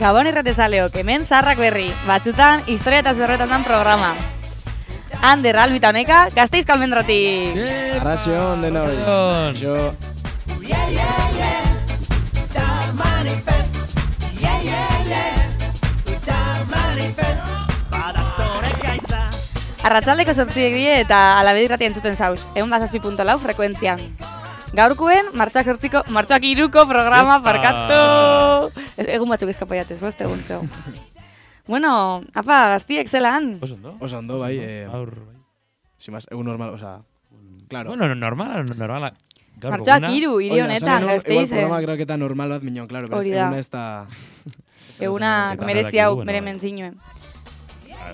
Gabon irratezaleok, hemen zaharrak berri, batzutan historia eta zberretan dan programa. Ander, Albi eta Oneka, Gasteizko Almendratik. Arratxeon, dena hori. Jo. Arratsaldeko 8 die eta Alabedi irratia entzuten zauz, 107.4 frekuentzian. Gaurkuen, martxoak 3ko programa parkatu. Egun batzuk eskapaiatez, boste egun txo. Bueno, apa, gaztiek zelan? Oso ondo, bai. Sin más, egun normal, osea, claro. Bueno, normal. Martxoak 3, hiri honetan, Gasteizen. Igual programa creo que eta normal bat, minon, claro, pero eguna ez da... Eguna merezi hau, mere menzinuen.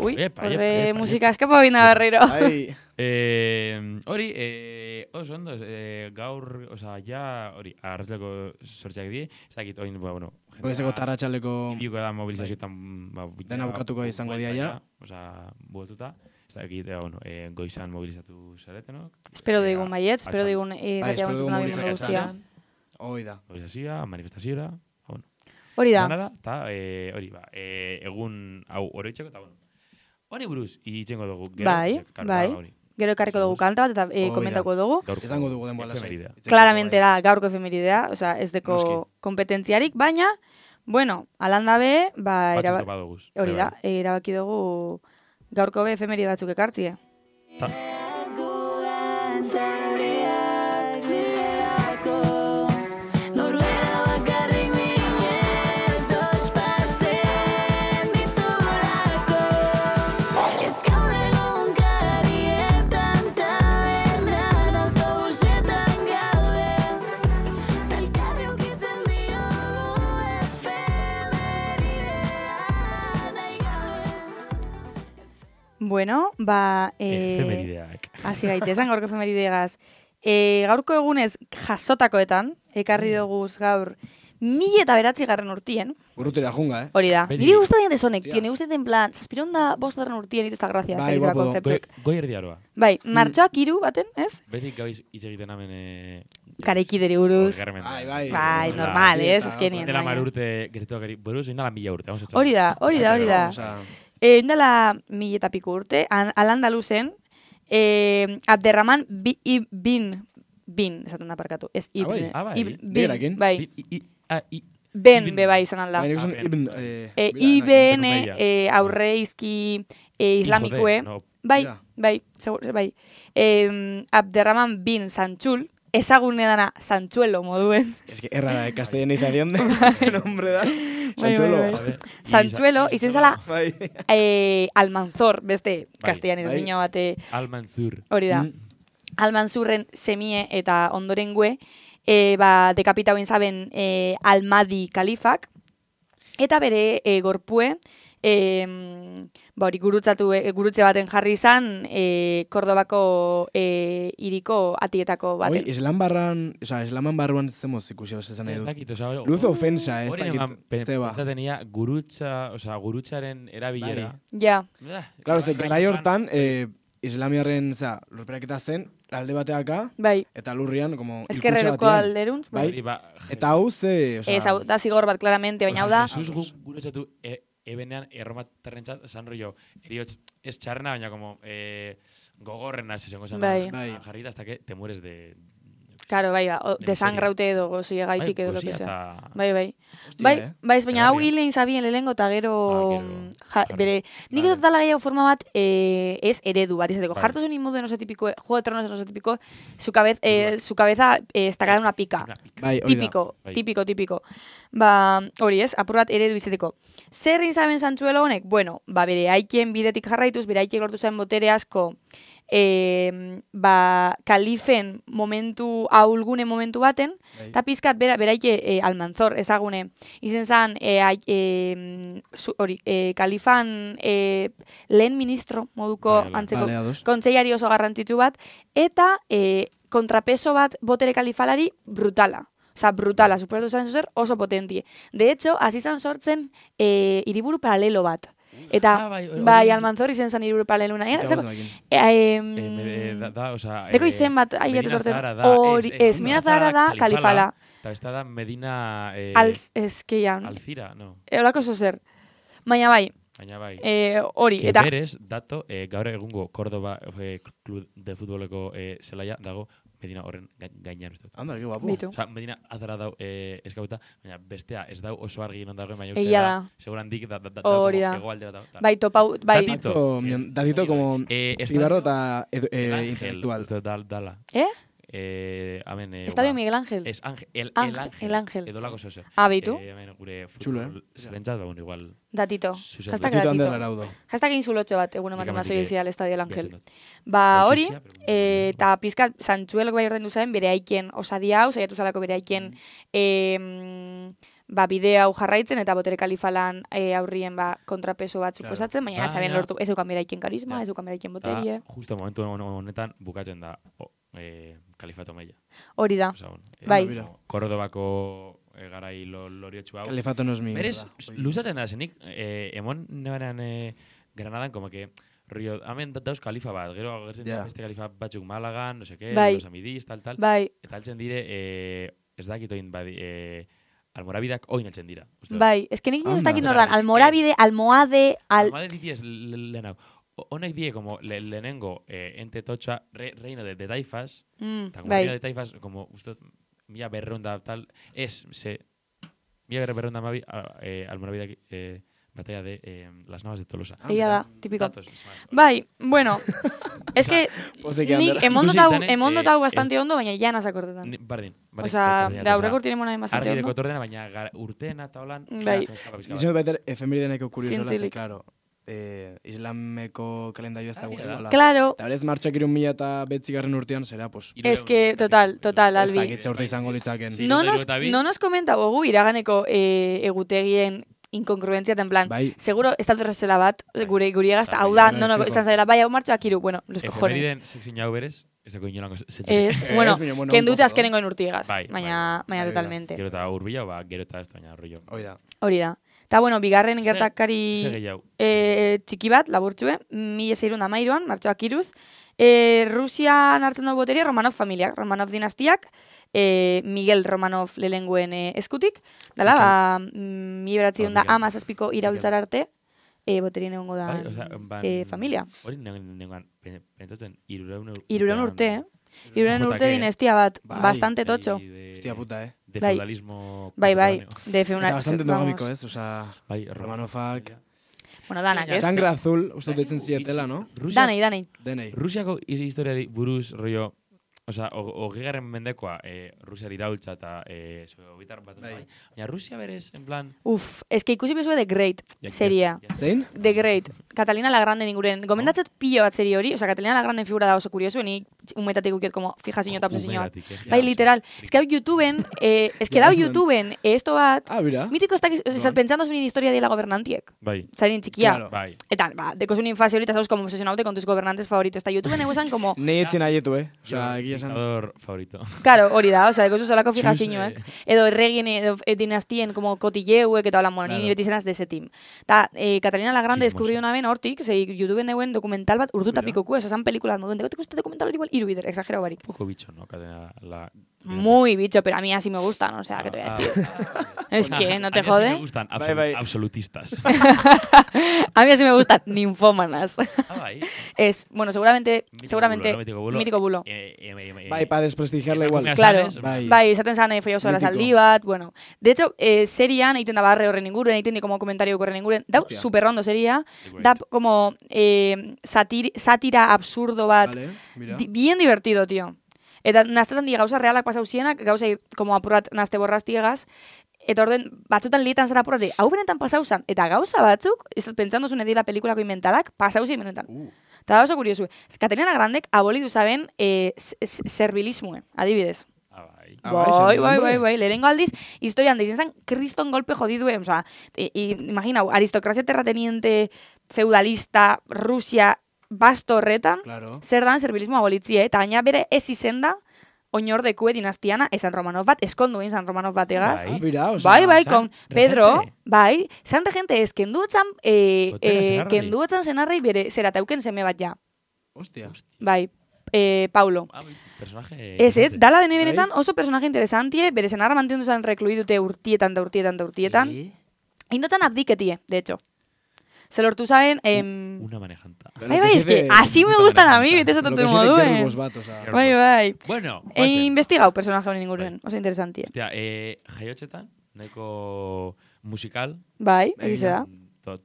Ui, horre musika eskapa bina barrero. Hori, oso ondo, gaur, oza, ja, hori, arratzaleko sortxak die, ez dakit, oin, bueno... Goizeko tarratxaleko... Ibiuko da mobilizazioetan... Dena bukatuko izango dia ja. Oza, buetuta, ez dakit, bueno, goizan mobilizatu zaretenok. Espero digun baiet, espero digun irratia bantzuten abien guztia. Hoi da. Mobilizazioa, manifestazioa, bueno. Hori da. Eta, hori, egun hau oroitzeko, eta, bueno. Hori buruz, itxengo dugu. Bai. Gero ekarriko dugu kanta bat eta komentako dugu. Izango dugu denboa lasai. Claramente da, gaurko efemeridea, osea, ez deko kompetentziarik, baina, bueno, alanda be, hori da, erabaki dugu gaurko be efemeride batzuk ekartzie. Bueno, efemerideak. Hasi gaitezen gaurko efemerideagaz. Gaurko egunez jasotakoetan, ekarri duguz gaur 2009 urtien. Urrutera junga, Hori da. Niri gustatzen desonek, tiene usted en plan, 2005 urtien iresta grazia, ez da konzeptuek. Goi erdiaroa. Bai, martxoak 3 baten, ez? Betik gabiz hitz egiten hemen... Karaikideri buruz. Bai, normal, ez? Eskenien. Dela marurte gertuak buruz, indala 1000 urte. Hori da. Indala 1000 eta piku urte, Al-Andaluzen, Abderrahman bin, esaten da parkatu, ez ibn. Bin, bai. Ben, bebai izan alda. IBN aurre izki islamikue. Bai. Abderrahman bin Sanchul, ezagune dana Sanchuelo moduen. Es que erra da, castellanización de nombre da. Sanchuelo. Sanchuelo, izen zala Almanzor, beste castellanizazio bate. Almanzur. Hori da. Almanzurren semie eta ondorengue, dekapitau inzaben Almadi kalifak, eta bere gorpue, gurutze baten jarri izan Kordobako hiriko atietako baten. Islaman barruan zemoz ikusi esan nahi dut. Luz ofensa, ez dakit, zeba. Pentsatenia gurutzaren erabilera. Ja. Claro, garai hortan, islamiarren, lurperaketa zen, alde bateaka, eta lurrian, como, eskerreroko alderuntz, bai. Eta hau ze, da zigor bat, claramente, baina hau da. Jesus gurutzatu ebenean erromatarrentzat esan rollo, eriotz ez txarrena, baina como gogorren hasi zengo esan jarrita hasta que te mueres de... Claro, desangraute edo gozi egaitik edo lo que sea. Bai, baina hau hilein zabien lehengo eta gero... Bere, nik dut dala gehiago forma bat ez eredu bat, izateko. Jartu zuen inmodu enoso tipiko, Juego de Tronos enoso tipiko, su cabeza estacada en una pica. Típico. Hori ez, apur bat eredu izateko. Zer inzaben Sanchuelo honek? Bueno, bere haikien bidetik jarraituz, bere haikien lortu zen botere asko kalifen momentu, ahulgune momentu baten, eta pizkat beraike Almanzor ezagune, izen zan, kalifan lehen ministro moduko antzeko kontseilari oso garrantzitsu bat, eta kontrapeso bat botere kalifalari brutala. Osa, brutala, suposatu zaren zer, oso potentie. De hecho, hasi zan sortzen hiriburu paralelo bat. Eta, bai, Almanzor izen zan hiriburu paralelo nahi. Deko izen bat, ahi sortzen. Ez, Medina Zahara da kalifala. Eta ez da Medina... Alzira, no. Olako oso zer. Baina bai. Hori. Eta berez, dato, gaur egungo Córdoba Club de Futboleko zelaia dago Medina horren gainean uste. Anda, que guapo. Osa, Medina azara dau eskauta, baina bestea ez dau oso argi non dagoen, baina uste da, seguran dik da egoaldera da. Bai, topau, bai. Datito como Ibarro eta intelectual. Dala. Estadio Miguel Ángel. Es el Ángel. Edo lako zozer. Beitu. Gure futbol zelentzat, baina igual... Datito. Hashtag datito. Hashtag insulotxo bat, egun ematen mazoi izia al Estadio Ángel. Ba, hori, eta pizkat, Santxuelok bai ordendu zaren, bere aiken osadi hau, saiatu zalako bere aiken bidea hau jarraitzen, eta botere kalifalan aurrien kontrapeso bat suposatzen, baina saben lortu, ez eukan bere aiken karisma, ez eukan bere aiken boterie. Justo momentu honetan bukatzen da Kalifato Meia. Hori da, bai. Kordobako garai loriotxu hau. Kalifato no es mi. Berez, luzatzen da zenik, emon nebaran Granadan, como que, rio, hamen dauz kalifa bat, gero agertzen beste kalifa batzuk Malagan, no sé qué, los Amidis, tal. Eta altzen dire, ez dakitoin, Almorabideak oin altzen dira. Bai, ez que nik ez dakit nordan, Almorabide, Almohade... Almohade ditiez lehenau. Honek die, como lehenengo ente totxa, reino de taifas, eta como reino de taifas, como usted, mila berreunda tal, mila berreunda mabi, Almorabideak batalla de las Navas de Tolosa. Ella da, típico. Bai, bueno, es que nik emondotau bastante ondo, baina ya nas akordetan. Bardin. Osa, da aurreko urtinen mona bastante ondo. Argi dekot ordena, baina urteena eta holan... Bai. Izan baiter, efemerideneko kuriosola, claro. Islameko kalendario ez da gure. Claro. Eta berez martxak 2009 urtean, zera, pues... Es que, total, Albi. Ez dakitze urte izango litzaken. No nos comenta gogu iraganeko egutegien inkongruentzia, en plan, seguro, ez dut errezela bat, gure egazta, hau da, izan zaila, bai, hau martxak iru, bueno, los cojones. Eferiden seksin jau berez, ez dako inolango zetxek. Ez, bueno, kendute azkenengo inurtiegaz, baina totalmente. Gero eta urbila, gero eta ez baina rollo. Hori da. Eta, bueno, bigarren gertakari txiki bat, laburtxue, 1613an, martxoak iruz, Rusian hartzen dugu boteria Romanov familiak, Romanov dinastiak, Miguel Romanov lelenguen eskutik, dala, 1917 iraultzara arte, boterien egongo da familia. Hori nengoan, pentsatzen, 200 urte, 200 urte dinastia bat, bastante totxo. Hostia puta, de feudalismo... Bai, de feudalismo... Bastante endogómico, Osa, Romanovak... Bueno, danak, ez? Sangre azul, uste ditzen zietela, no? Danei. Rusiako historiari buruz, rollo... Osa, hogegarren mendekoa Rusiar iraultza eta sobitar bat. Baina Rusia berez, en plan... Ez que ikusi bezue The Great seria. Zein? The Great. Catalina la Grande ninguren. Gomendatzet pilo bat serie hori. Osa, Catalina la Grande figura da oso kurioso. Ni umetatik ukiet como fijasiño eta obsesiño bat. Bai, literal. Ez que hau YouTubeen, esto bat... Mitiko ez dakiz, pentsando zunin historia de la gobernantiek. Bai. Zarin txikia. Eta, deko zunin fase horita, zauz, como obsesionaute con tus gobernantes favoritos. Eta YouTubeen eguesan como... Nei etzen aietu, Osa, dictador favorito. Claro, hori da, osea, dekozu solako fijasiño, Edo erregien, edo dinastien, como cotilleuek, eta hola, bueno, ni beti zenaz de ese team. Ta, Catalina la Grande descubrió una vez hortik, YouTube neuen dokumental bat urduta pikoku, esan pelikulas moduen, degoteko este dokumental igual irubider, exagerado barik. Poco bicho, ¿no? Catalina la... Muy bicho, pero a mí así me gustan, o sea, ¿qué te voy a decir? Es que, ¿no te jode? A mí así me gustan absolutistas. A mí así me gustan ninfómanas. Es, bueno, seguramente, mítico bulo. Bai, para desprestigiarla igual. Claro, bai, esaten zan folloso la saldi bat, bueno. De hecho, serian, egiten da barre horren inguren, egiten di como komentario horren inguren, da super rondo seria, da como sátira absurdo bat, bien divertido, tío. Eta naztetan di gauza realak pasau zienak, gauza como apurrat nazte borraztiegaz, eta orden batzutan lietan zara porrati, hau benetan pasau zan, eta gauza batzuk, ez dut pentsando zuen edila pelikulako inventadak, pasau zi benetan. Eta oso kuriosu. Katerina Grandek abolidu zaben servilismue, adibidez. Bai, lehenengo aldiz, historian deizen zen, kriston golpe jodidue, oza, imaginau, aristokrazia terrateniente, feudalista, Rusia, basto horretan, zer dan servilismo abolitzie, eta gaina bere ez izenda, oinordekue dinastiana, esan Romanov bat, eskonduen San Romanov bat egaz. Bai, con Pedro, bai, zan regente ez, kenduetzan zenarrei bere zerateuken seme bat ja. Hostia. Bai, Paulo. Ez, dala dene benetan oso personaje interesantie, bere zenarra mantendu zen rekluidute urtietan. Indotzan abdiketie, de hecho. Se lortu zaben... Una manejanta. Bai, es que así me gustan a mí, bete esatotu moduen. Bai. Bueno. Investigau personaje honen inguruen, oso interesantie. Hostia, jaiotxetan, nahiko musikal. Bai, egize da.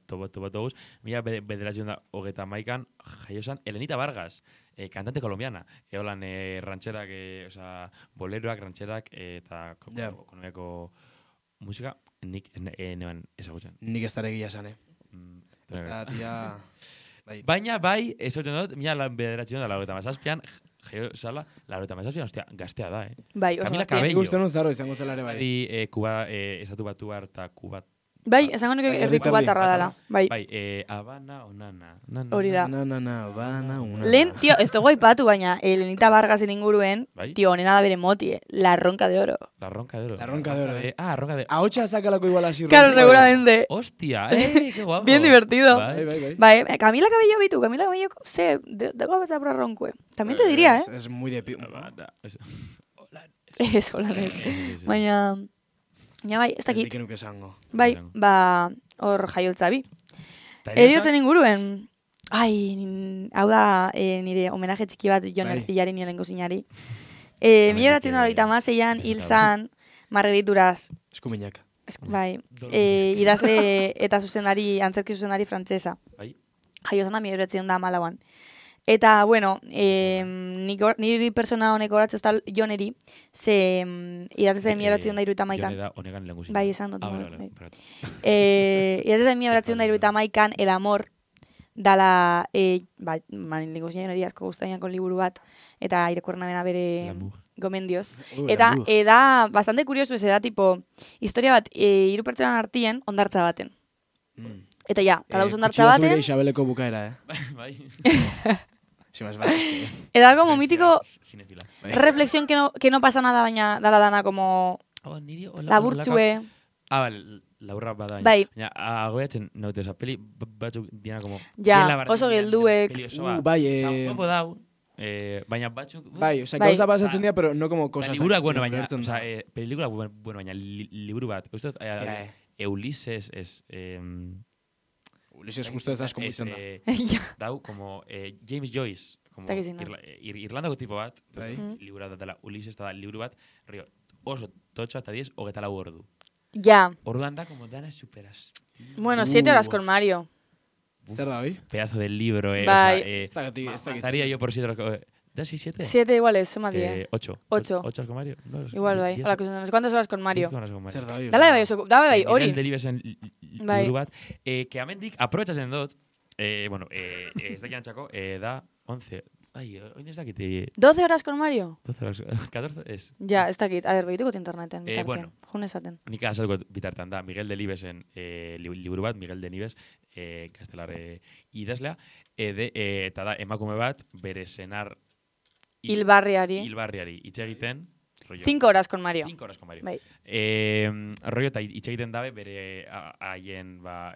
Tobotobuz. Mila bederatzion da, hogeta maikan, jaiosan, Elenita Vargas, cantante colombiana. Eolan rancherak, boleroak, rancherak, eta ekonomiako musika, nik neban ezagutzen. Nik ez daregia esan, Baina, bai, ezagutzen dut, mila bederatzion da, laureta mazazpian, jaio sala, laureta mazazpian, ostia, gaztea da, Bai, oso Camila Cabello. Ikusten zaro, izango zelare bai. Kuba, estatu batu harta, Kubat. Bai, esango nuke erdiko bat arra dela. Bai, Habana o Nana. Hori da. Habana o Nana. Lehen, tio, ez dugu aipatu, baina Elenita Vargasen inguruen, tio, honena da bere moti, La Ronca de Oro. La Ronca de Oro. Ronca de Oro. Ronca de Oro. Ahotxa sakalako igual así. Claro, seguramente. Hostia, qué guapo. Bien divertido. Bai. Camila Cabello, Camila Cabello, dego a por roncue. También te diría, Es muy de... Es holandés. Baina... Ja, bai, ez dakit. Dikenuk esango. Bai, hor jaioltza bi. Eriotzen inguruen, hau da nire homenaje txiki bat Jon Ercillari nielengo zinari. Mila ratzen dara horita mazeian, hil zan, Margarituraz. Eskuminak. Bai, idazle eta zuzendari, antzerki zuzendari frantzesa. Bai. Jaiozana mila ratzen da malauan. Eta, bueno, niri persona honeko horatzen da Joneri, ze idatzen mila beratzen da iruita maikan. Jone da honegan lenguzik. Bai, esan dut. Idatzen mila beratzen da iruita maikan, El Amor, dala, lenguzik Joneri asko guztainako liburu bat, eta irekuerna bena bere gomendioz. Eta, da, bastante kuriosu ez da, tipo, historia bat, hiru pertsonan artien, ondartza baten. Eta ja, eta dauz ondartza baten... Kutxio zure Isabeleko bukaera, Bai. Era como mítico reflexión que no pasa nada, baina dala dana como laburtxue. Vale, laburra bada. Bai. Baina, agoiatzen naute, oza, peli batzuk diana como... Ja, oso gelduek. Bai, Opo dau, baina batzuk... Bai, oza, gauza pasatzen dira, pero no como cosas... Liburuak, bueno, baina, oza, pelikula, bueno, baina, liburu bat. Usted, Ulises es... Ulises justo ez asko izan da. Dau, como James Joyce, como Irlandako tipo bat, libura dela Ulises, eta liburu bat, oso totxo eta 10, 24 ordu. Ja. Orduan da, como dana superas. Bueno, 7 horas con Mario. Zer da, oi? Pedazo del libro, Bai. Mataría yo por 7 horas. ¿Da 6, 7? 7 iguales, suma 10. 8. 8 horas con Mario? No, igual, bai. ¿Cuántas horas con Mario? Zer da, oi? Dala bai, hori. Miguel Delibes en liburu bat. Que amendik, aprovechas en dot, bueno, ez da jantzako, da 11. Ai, oin ez dakit. 12 horas con Mario? 12 horas, 14 ez. Ja, ez dakit. A ver, behituko interneten. Bueno. Jun esaten. Nik azalko bitartan da. Miguel Delibesen liburu bat, Miguel Delibes, kastelar idazlea. Eta da, emakume bat, bere senar Hilbarriari hitz egiten. 5 horas con Mario. 5 horas con Mario. Bai. Rollo eta hitz egiten dabe bere haien bai,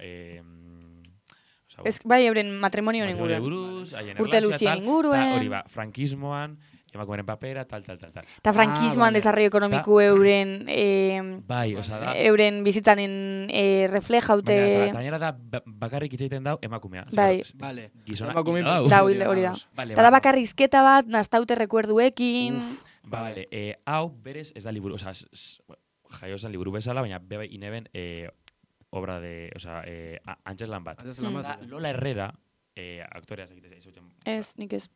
euren matrimonio inguruen. Urte luzien inguruen. Hori ba, frankismoan, emakumeren papera, tal. Eta frankismoan desarrollo ekonomiku euren... Bai, oza da. Euren bizitzanen reflejaute... Baina da, bakarrik hitz egiten dau emakumea. Bai. Vale. Gizona. Da, hori da. Eta da bakarrizketa bat, naztaute rekuerduekin... Vale, hau berez ez da liburu, oza, jaiosan liburu bezala, baina beba ineben obra de, oza, Antzeslan bat. Antzeslan bat. Lola Herrera, aktorea, ez, nik ez.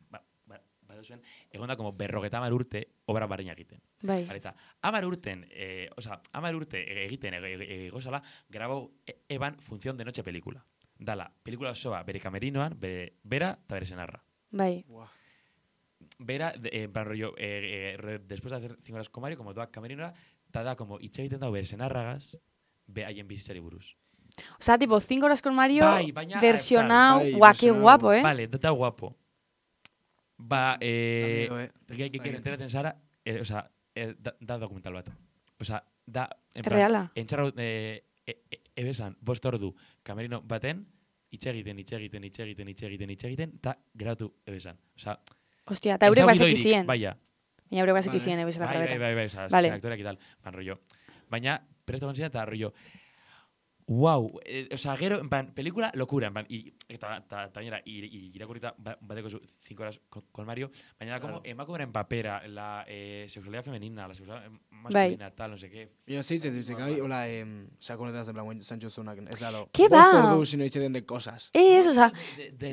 baduzuen, egon da como 50 urte obra barreina egiten. Bai. Eta 10 urten, 10 urte egiten egozala, grabau eban Función de Noche pelikula. Dala, pelikula osoa bere kamerinoan, bera eta bere senarra. Bai. Bera, rollo, después de hacer 5 horas con Mario, como doa kamerinora, eta da, como, itxe egiten dago bere senarragaz, haien bizitzari buruz. O sea, tipo, 5 horas con Mario, versionado, qué guapo, Vale, da guapo. Enteratzen zara, da dokumental bat. O sea, da... Reala. Entxarra, ebesan, 5 ordu, kamerino baten, itxe egiten, eta grabatu ebesan. O sea... Hostia, eta eurek basek izien. Baina. Baina eurek basek izien, ebezela grabeta. Bai, sin aktoreak y tal. Rollo. Baina, presta gontzina eta rollo... Wow, gero, pelikula locura, eta bainera, irakurrita bateko 5 horas con Mario, baina da como emakumeren papera, la sexualidad femenina, la sexualidad masculina, tal, no sé qué. Yo sí, hola, saconetas de blanco, Sancho Zunak, es algo. ¿Qué va? Si no echen de cosas. O sea,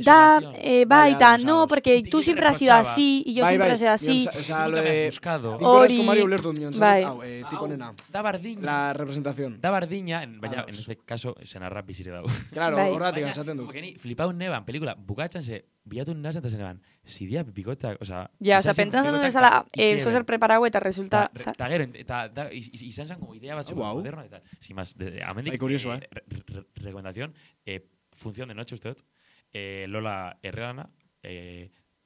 da, baita, no, porque tú siempre has sido así, y yo siempre he sido así. O sea, lo de 5 horas con Mario Blertu, tipo nena. Da bardiña. La representación. Da bardiña, baina, en este caso, senarra bizire dago. Claro, horratik esaten du. Porque ni flipau neban, pelikula, bukatzen ze, bilatu nazen eta zeneban, zidia pipikotak, oza... Ja, oza, pentsan zen duzala, zozer preparau eta resulta... Eta gero, eta izan zen como idea batzu moderno, eta, sin más, amendik, recomendación, Función de Noche, uste dut, Lola Herrerana,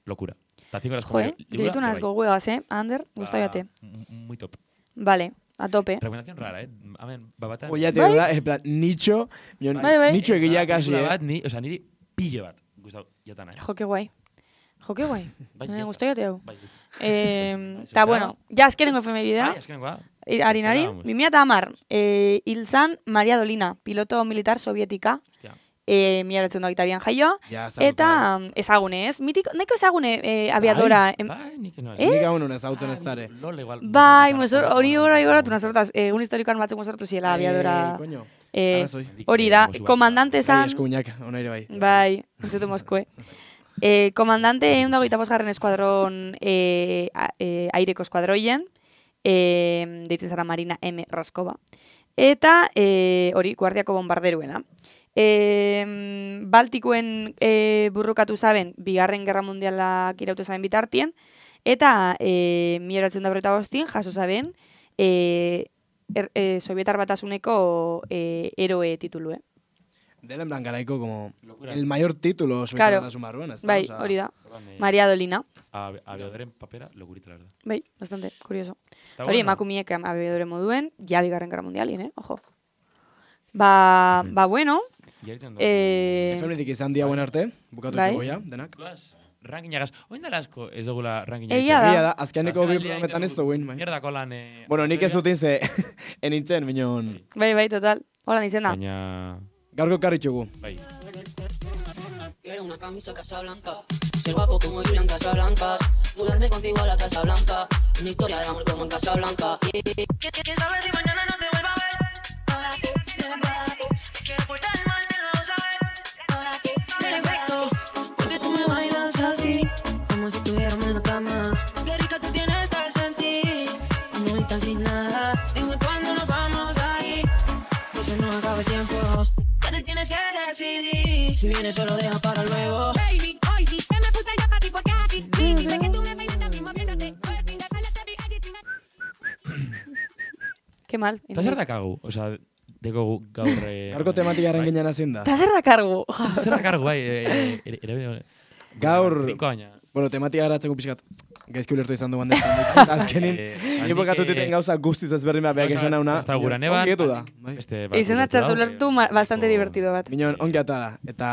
locura. Eta 5 horas con Mario. Joder, diretu nazko huegas, Ander, gustaiate. Muy top. Vale. A tope. Recomendación rara, Amen, babatan. Oye, te da, en plan, nicho egia kasi, O sea, niri pille bat. Gustau, jatan, Jo, que guai. Me gustaiate hau. Ta, bueno, ja azkenengo efemerida. Bai, azkenengoa. Harinari, 2010, hil zan Maria Dolina, piloto militar sovietika. Mila betzen doagitabian jaioa. Eta ezagune, ez? Nahiko ezagune aviadora. Bai, nik enoz. Nik hau nuen ezautzen ez dare. Bai, hori igoratu nazortaz. Un historikoan batzuk mozortu ziela aviadora. Hori da, komandante zan. Eskubinak, onaire bai. Bai, entzutu Moskue. Komandante 125 eskuadron aireko eskuadroien. Deitzen zara Marina M. Raskova. Eta hori, guardiako bombarderuena. Baltikuen burrukatu zaben, Bigarren Gerra Mundialak iraute zaben bitartien, eta 1945 jaso zaben Sovietar Batasuneko eroe titulue. Dela en plan garaiko como el mayor título Sovietar Batasun barruan. Bai, hori da. Maria Dolina. Aviadoren papera, locurita, la verdad. Bai, bastante, curioso. Hori, emakumiek aviadore moduen, ja Bigarren Gerra Mundialien, ojo. Ba, bueno. Efemenetik izan dia buen arte, bukatu goia, denak. Rankinagaz, oin dara asko ez dugula rankinagaz. Egia da. Azkeneko bi programetan ez duguen. Mierdako lan... Bueno, nik ez zutin ze enintzen, minon. Bai, total. Hola, nintzen da. Baina... Gaurko karritxugu. Bai. Quiero una camisa Casablanca, ser guapo como Julián Casablancas, mudarme contigo a la Casa Blanca, una historia de amor como en Casablanca. ¿Quién sabe si mañana no te vuelva a ver? Quiero portar mal, que no sabes. Perfecto, porque tú me bailas así, como si estuviéramos en la cama. Qué rica tú tienes que sentir, no estás sin nada. Dime cuándo nos vamos a ir, que se nos acaba el tiempo. Ya te tienes que decidir, si vienes solo deja para luego. Baby, hoy sí te me puse ya para ti porque así. Dime que tú me bailas también, moviéndote. Qué mal. Eta zer dakagu? Osa, deko gaur... Gaurko tematikaren ginen hazin da. Eta zer dakargu? Zer dakargu, bai. Gaur... Rinkoaina. Bueno, tematika garatzeko pixkat gaizki ulertu izan duan destan. Azkenin, nipokatu tuten gauza guztiz ezberdin bat behak esan hauna. Eta gura neban. Ongietu da. Izen atzartu ulertu bastante divertido bat. Minon, ongiata da. Eta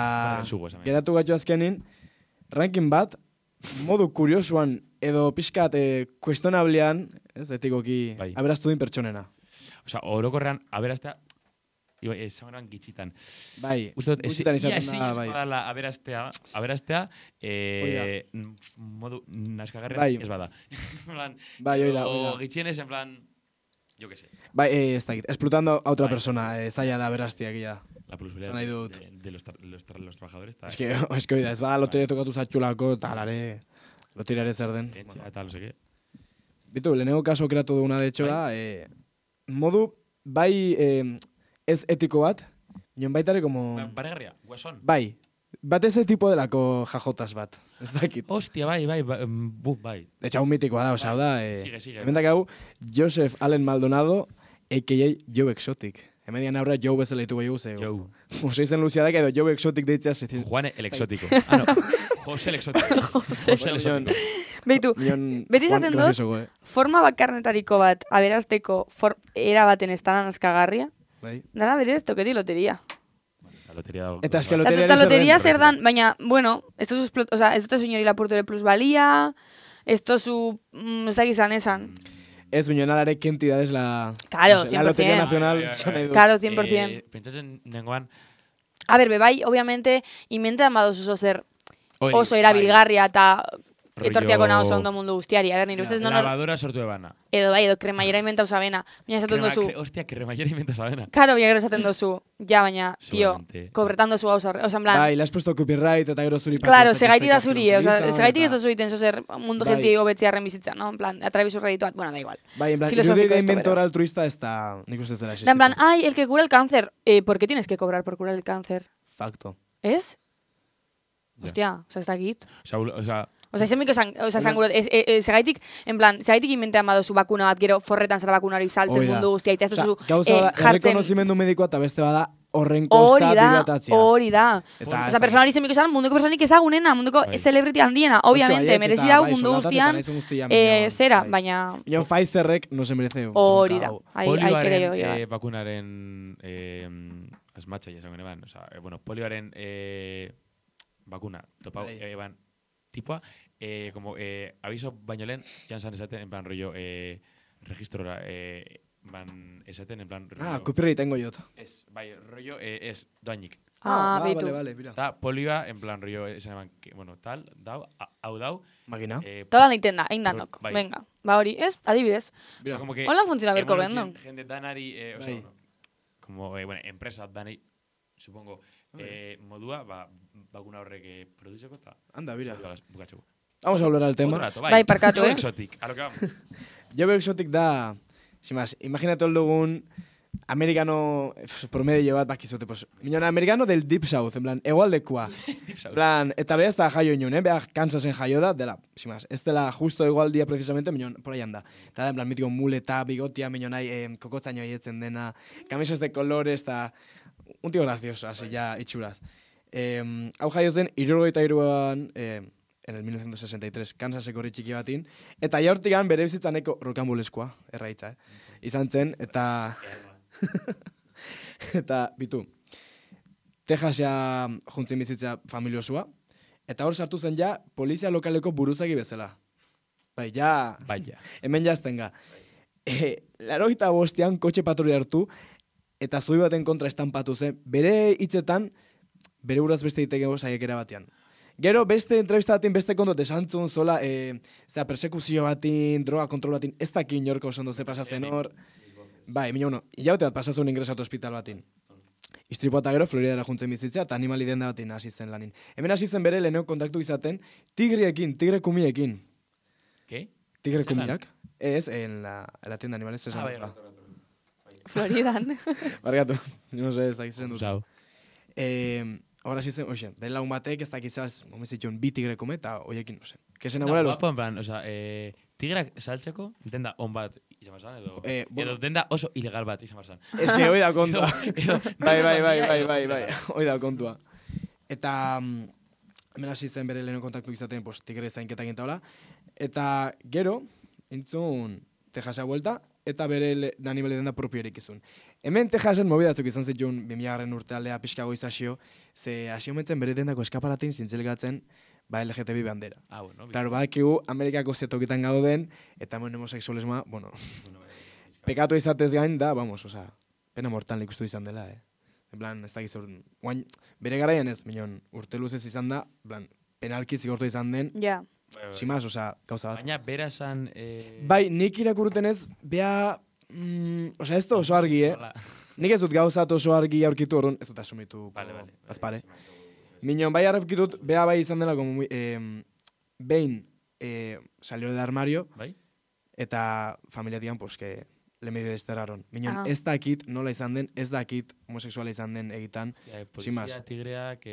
geratu gatu azkenin, ranking bat, modu kuriosuan edo pixkat kuestionablean, ez, etikoki, aberaztu din pertsonena. Osa, orokorrean, aberaztea, esan gitxitan. Bai, gutxitan izaten da, bai. Aberaztea, modu naskagarren ez bada. Bai, oida. O gitxienez, en plan, yo que sé. Bai, ez da, explotando a otra persona, zaila da aberaztea gila. La plusvalía de los trabajadores. Es que oida, ez bada loteria tokatu zatxulako, talare... Loteriare zer den. Eta, no seke. Bitu, lehenengo kaso kreatu duguna, de hecho, da, modu, bai, ez etiko bat, nion baitare, como... Baregarria, guasón. Bai, bat eze tipo delako jajotas bat, ez dakit. Hostia, bai. De hecho, un mitikoa da, osea, da, Sigue. hemendak hau, Joseph Allen Maldonado, a.k.a. Joe Exotic. Hemen dian aurra Joe bezala ditugu egu, Joe. Oso izen luziadak edo Joe Exotic deitzea. Juan el Exótico. No. José el Exótico. José el Exótico. Beitu, beti izaten dut, forma bakarnetariko bat aberazteko era baten estanan azkagarria. Bai. Dara berez, toketi loteria. La loteria... Eta eske loteria zer dan, baina, bueno, esto es señor lapurto de plusvalía, esto su, ez da gizan esan. Ez binonalare kentidades la... Claro, 100%. La Lotería Nacional. Claro, 100%. Pentsatzen nengoan... A ver, bebai, obviamente, inmentean badozu zer oso erabilgarria eta etortiako nahi oso ondo mundu guztiari. A ver, nire ustez lavadora sortu ebana. Edo kremaiera inventau zabena. Baina esaten dozu... Hostia, kremaiera inventau zabena. Karo, baina gero esaten dozu. Ja, baina, tío, kobretan dozu gauza horre. Osa, en plan... Bai, le has puesto copyright eta gero zuri... Claro, segaiti da zuri, segaiti ez dozu iten zozer mundu genti hobetziarren bizitza, no? En plan, atrabizu redituat, bueno, da igual. Bai, en plan, irudi de inventor altruista ez da... Nik ustez dela existitu. En plan, ay, el que cura el cáncer. ¿Por qué tienes que cobrar por curar el cáncer? Facto. ¿Es? Hostia, ez dakit. Osa, izemiko esan gure, segaitik, en plan, segaitik inventean badozu bakuna bat, gero forretan zara bakunari saltzen mundu guztia, eta ez duzu jartzen... Gauza da, errekonozimendu medikoa eta beste bada horren kosta dilatatzea. Hori da. Osa, personali izemiko esan, munduko personalik ezagunena, munduko celebrity handiena, obviamente, merezi dau mundu guztian, zera, baina... Ion Pfizerrek no se merece. Hori da. Polioaren bakunaren asmatxa, jasan gure ban, bueno, polioaren bakuna, topau, eban, tipoa, como aviso baino lehen, jantzan esaten, en plan rollo, registrora, van esaten, en plan rollo... Copyright tengo jot. Ez, bai, rollo, ez, doainik. Beitu. Vale, mira. Ta, polioa, en plan rollo, esan eban, bueno, tal, dau, hau dau. Magina. Toda niten da, egin danok, venga. Ba hori, ez, adibidez. Hola funtziona berko bendon. Jende danari, como, bueno, empresa danari, supongo, modua, bakuna horrek produzeko eta... Anda, mira. Bukatzeko. Vamos a volver al tema. Bai, parkatu, Joe Exotic, a lo que vamos. Joe Exotic da... Sin más, imagínate el dugun americano promedio bat bakizute, pues, minon americano del Deep South, en plan, egualdekua. Deep South. Plan, eta beha ez da jaio inun, beha Kansasen jaio da, dela, sin más, ez dela justo egualdia precisamente, minon, por ahí anda. Eta da, en plan, mitiko muleta, bigotia, minon nahi, kokotzaino hietzen dena, camisas de colores, eta... Un tío gracioso, así ya, itxuraz. Hau jaio zen, 73an, en el 1963, Kansaseko herri txiki batin, eta jaurtikan bere bizitzaneko rokambuleskoa, erraitza, izan zen, eta... eta, bitu, Texasia juntzen bizitza familiosua, eta hor sartu zen ja, polizia lokaleko buruzagi bezala. Bai, ja... Hemen jaztenga. 85an kotxe patrulla hartu, eta zui baten kontra estampatu zen, bere hitzetan, bere buraz beste ditekego saiakera batean. Gero, beste entrevista batin, beste kontot esantzun zola, persekuzio batin, droga kontrol batin, ez daki inorko oso ondo ze pasatzen hor. Bai, mina hilaute bat pasatzen ingresatu hospital batin. Istripoa eta gero, Floridara juntzen bizitzea, eta animali denda batin hasi zen lanin. Hemen hasi zen bere leheneo kontaktu izaten, tigre kumiekin. ¿Qué? Tigre kumiak. Ez, en la tienda animales. Floridan. Bargatu, no sé, ez dakitzen dut. Zau. Ahora sí, oye, den lagun batek ez dakizaz, momezitxon, bi tigre kume, eta oiekin, no sé. Que se enamora los... Guapo, en plan, o sea, tigrak saltzeko, denda on bat izan barzan, edo denda oso ilegal bat izan barzan. Es que hoi da kontua. Bai, hoi da kontua. Eta, hemen hasi zen bere leheno kontaktu izaten, pues, tigre zainketak gintaola. Eta, gero, entzun, Texasa vuelta, eta bere animali denda propio erikizun. Hemen Texasen mobidatzuk izan zituen 2000 urte aldea pixkago izazio, ze hasi homentzen bere dendako eskaparatin zintzelgatzen ba LGTB bandera. Bueno. Claro, badakigu Amerikako zetokitan gauden, eta hemen homosexualismoa, bueno, pekatu izatez gain da, vamos, oza, pena mortal ikustu izan dela, En plan, ez dakiz guain, bere garaian ez, minon, urte luzez izan da, plan, penalki zigortu izan den, ja. Simaz, oza, gauza bat. Baina, bera esan... Bai, nik irakurtenez, bea... Osa, ez da oso argi, Nik ez dut gauzat oso argi aurkitu orduan, ez dut asumitu azpare. Minon, bai arrepkitut, bea bai izan dela, behin salió del armario, bai? eta familiatian, pues, que le medio desterraron. Minon, ez dakit nola izan den, ez dakit homosexuala izan den egitan. Polizia, tigreak...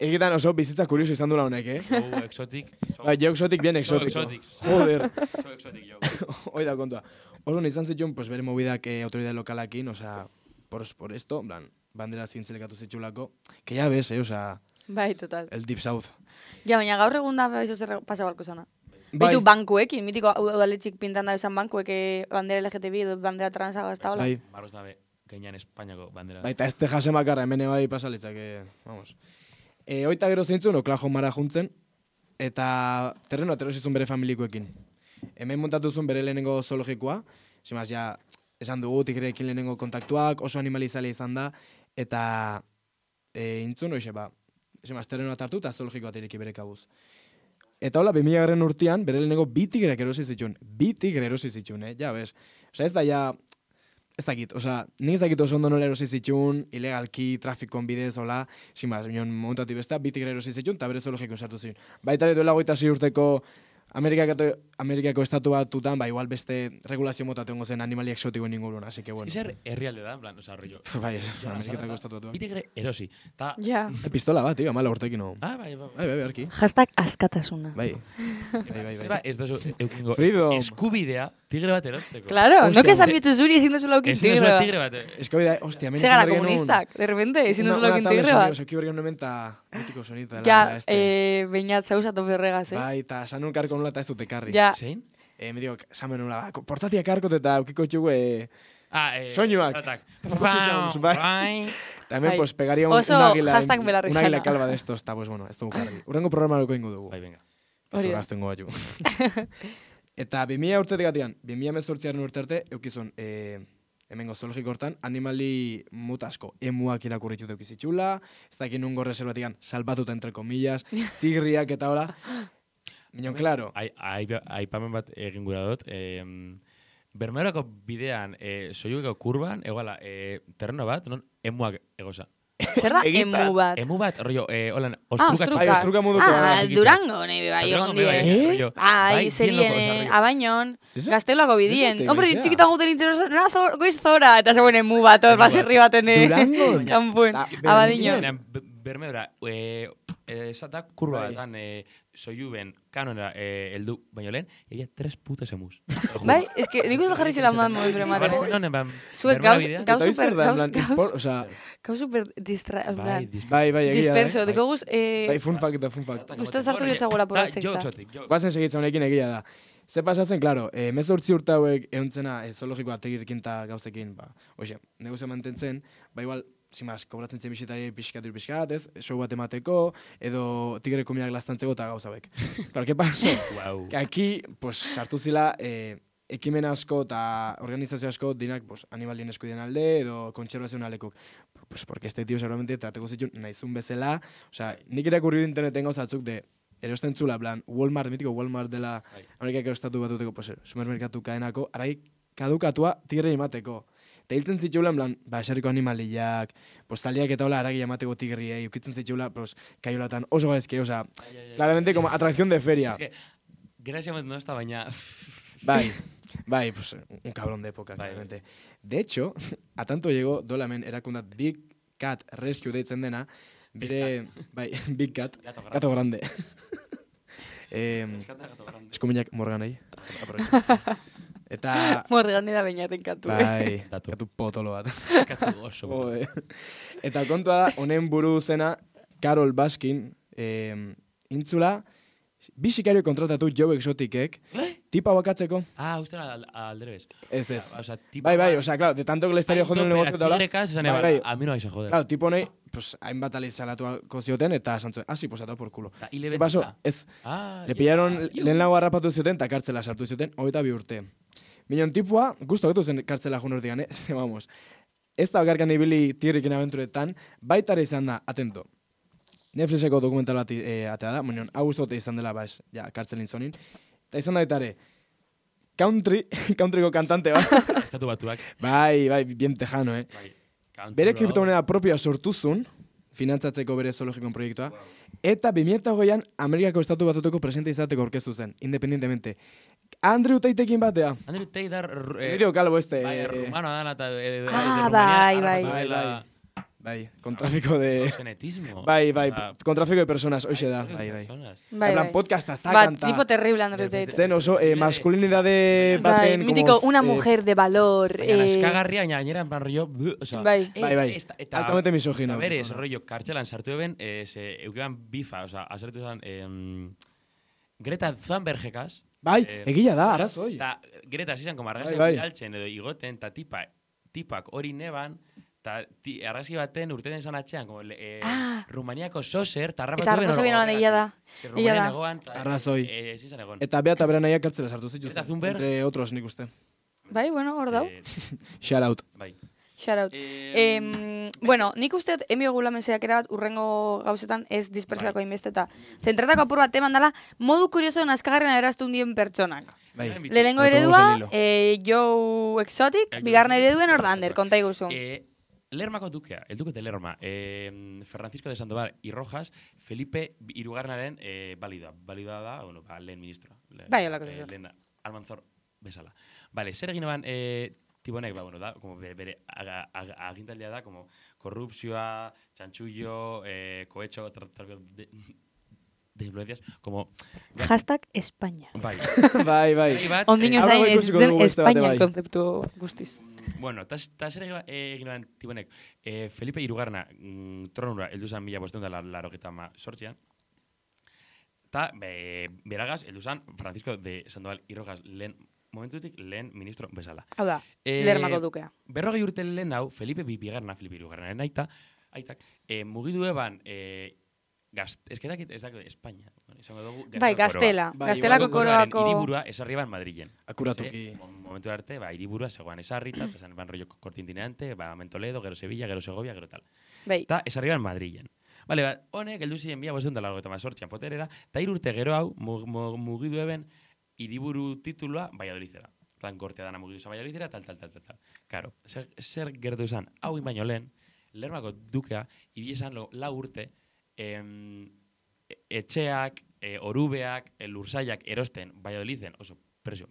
Egitan oso bizitza kurioso izan dula honek, Exotic. Jo exotic, bien exótico. Joder. So exotic, jo. Hoi da kontua. Oso izan zituen, pues, bere movidak autoridade lokalakin, osea, por esto, en plan, bandera zintzelekatu zitxulako, que ya ves, osea... Bai, total. El Deep South. Ja, baina gaur egun da, eso zer pasa balko zona. Bai. Bitu bankuekin, mitiko udaletxik pintan da esan bankuek bandera LGTB edo bandera transa gazta hola. Bai. Marroz dabe, gainean Espainiako bandera. Bai, eta ez te jase makarra, hemen bai pasalitzak, vamos. Oita gero zeintzun, Oklahomara juntzen, eta terreno aterosizun bere familikoekin. Hemen montatuzun bere lehenengo zoologikoa, simaz, ja, esan dugu, tigreekin lehenengo kontaktuak, oso animalizale izan da, eta intzun, hoxe, simaz, terreno atartu eta zoologikoa ireki bere kabuz. Eta hola, 2000 urtean, bere lehenengo bi tigreak erosi zituen, ja, bez. Osa, ez da, ja, ez dakit, osa, nik ez dakit oso ondo nola erosi zituen, ilegalki, trafikon bidez, hola, simaz, montati besta, bi tigre erosi zituen, eta bere zoologiko sartu zituen. Baita ere duela 26 urteko Amerikako estatu batutan, igual beste regulazio motatu ongo zen animali exotikoen ingurun, así que bueno. Zer herrialde da, en plan, osa, rollo. Bai, Ameriketako estatu batuan. Bitigre erosi. Ja. Pistola bat, tío, 14 urtekin no. Bai. Bai, arki. Hashtag askatasuna. Bai. Zeba, ez dozu eukingo eskubidea tigre bat erosteko. Claro, no que sabietu zuri ezin duzula eukin tigre bat. Eskubidea, hostia, hemen Segara komunistak, de repente, ezin duzula eukin tigre bat. Soki bergen nomen ta mitiko sonita. Ja, beinat zauzatu berregaz, Bai, eta sanun karko nula eta ez dute karri. Ja. Zein? Me digo, samen nula, portatiak karkot eta eukiko txugue soinuak. Bai. También, pues, pegaría un águila calva de estos, eta, pues, bueno, ez dugu karri. Urrengo programa loko ingo dugu. Bai, venga. Ez horaztu ingo batu. Eta 2000 urtetik atian, 2018 urte arte, eukizun, hemengo zoologiko hortan, animali mutasko, emuak irakurritxut eukizitxula, ez dakin nungo reservatikan salbatuta entre comillas, tigriak eta hola. Minon, claro. Aipamen bat egin gura dut. Bermeorako bidean, soiueko kurban, egala, terreno bat, non emuak egoza. Zer da emu bat? Emu bat, rollo, holan, ostruka txiki. Ostruka moduko. Durango, nahi bai, egon die. Bai, zerien, abainon, gazteloako bidien. Hombre, txikitan guten nintzen, goiz zora, eta zegoen emu bat, baserri baten. Durango? Kanpuen, abadiño. Bermeora, esatak kurba batan, soiuben kanonera eldu baino lehen, egia 3 putos emus. Bai, es que nik uste jarri zela modan modu brematen. Zuek gau super disperso. Deko guz... Bai, fun fact. Uste zartu ditzagoela por la sexta. Guazen segitzen honekin egia da. Ze pasatzen, claro, 18 urte hauek euntzena zoologikoa trigirkin eta gauzekin, oixe, negozio mantentzen, igual, zimaz, kobratzen zen bisitari pixkat, ez? Show bat emateko, edo tigre komiak lastantzeko eta gauzabek. Claro, ¿qué pasó? Que aquí, pues, sartu zila, ekimen asko eta organizazio asko dinak, pues, animalien eskudien alde, edo kontserbazioen aldekuk. Pues, porque este tío seguramente trateko zituen nahizun bezala, osea, nik irakurri interneten gauzatzuk de erosten zula, plan, Walmart, mitiko Walmart dela Amerikako estatu batuteko, pues, supermerkatu kadenako, arai kadukatua tigre emateko. Eta hiltzen zitxula, en plan, eserriko animaliak, postaliak eta hola aragi emateko tigriei, ukitzen zitxula, kaiolatan oso gaizki, osea, claramente como atracción de feria. Es que, gracia no está baina... Bai, pues, un cabrón de época, claramente. De hecho, a tanto llegó dolamen erakundat Big Cat Rescue deitzen dena, bire, Big Cat, gato grande. Eskuminak Morganei. Eta... Morgane da bainaten katu. Bai, katu potolo bat. Katu oso. Eta kontua da, honen buru zena, Carol Baskin, intzula, bisikario kontratatu Joe Exoticek, tipa bakatzeko. Uste alderebes. Ez. Bai, osea, claro, de tanto que le estaría jodiendo el negocio eta hola. A mí no vais a joder. Claro, tipo honei, pues, hainbat alizalatuko zioten, eta santzuen, sí, pues, atau por culo. ¿Qué pasó? Ez, le pillaron, lehen lago harrapatu zioten, eta kartzela sartu zioten, 22 urte. Minon tipua, gusto getu zen kartzela jun urtean, vamos. Ez da bakarkan ibili tigrikin abenturetan, baitare izan da, atento. Netflixeko dokumental bat atea da, minon, gustote izan dela, kartzelin zonin. Eta izan da baitare, countryko kantante bat. Estatu batuak. Bai, bien tejano, Bere kriptomoneda propioa sortuzun, finantzatzeko bere zoologikon proiektua, eta 2008an Amerikako Estatu Batuteko presidente izateko aurkeztu zen, independientemente. Andrew Tateekin batea. Andrew Tate da... Emilio Calvo Bai, rumano dana eta... Bai, con tráfico de... Genetismo. Bai, con tráfico de personas, hoxe da. Bai. Podcasta sacan. Tipo terrible, Andrew Tate. Zen oso, masculinidade baten... Mítico, una mujer de valor. Eskagarria, gainera, en plan rollo... Bai. Altamente misógino. A ver, ese rollo, kartxelan sartu eben, eukiban bifa, asertu zen... Greta Thunbergekaz. Bai, egia da, arazoi. Ta Greta zizan, como argazia bidaltzen edo igoten, ta tipak hori neban, eta argazki baten urteten izan atxean, Rumaniako soser, eta harrapatu ben hori. Eta harrapatu egia da. Rumanian egoan, arrazoi. Zizan egon. Eta bea eta bera nahiak kartzela sartu zituz. Greta Thunberg. Entre otros, nik uste. Bai, bueno, hor dau. Shout out. Bai. Shout out. Bueno, nik usteet emio gulamenzeak erabat urrengo gauzetan ez dispersiako inbeste eta zentratako apur bat teman dela modu kurioso nazkagarren eraztu hundien pertsonak. Lehenengo eredua, Joe Exotic, bigarren ereduen Ordander, konta iguzu. Lermako dukea, el duque de Lerma, Francisco de Sandoval y Rojas, Felipe Irugarnaren balida da, bueno, lehen ministro. Bai, holako zizor. Lehen Almanzor bezala. Vale, zer egin eban... Tibonek, bueno, da, como bere agintaldia da, como korrupzioa, txantxullo, cohecho, tráfico de influencias, como... Hashtag España. Bai. Ondino zain ez zen España konzeptu guztiz. Bueno, ta zer egin eban Tibonek, Felipe Irugarna tronura heldu zan 1988an, ta beragaz heldu zan Francisco de Sandoval y Rojas momentutik lehen ministro bezala. Hau da, Lermako dukea. 40 urte lehen hau, Felipe Irugarnaren aitak, mugidu eban, ez dakit España. Bai, Gaztelako koroako... Hiriburua esarri ban Madrilen. Akuratuki. Momentu arte, hiriburua zegoan esarrita, esan ban rollo kortintinante, Mentoledo, gero Sevilla, gero Segovia, gero tal. Bai. Ta esarri ban Madrilen. Bale, honek, eldu ziren bia, bostuen dalago eta mazortzian poterera, ta 3 urte gero hau, mugidu eben, hiriburu titulua Valladolidera. Plan, gortea dana mugidu zan Valladolidera, tal. Karo, zer gertu zan, hau baino lehen, Lermako dukea, ibiesan 4 urte, etxeak, orubeak, lursaiak erosten Valladoliden, oso presio,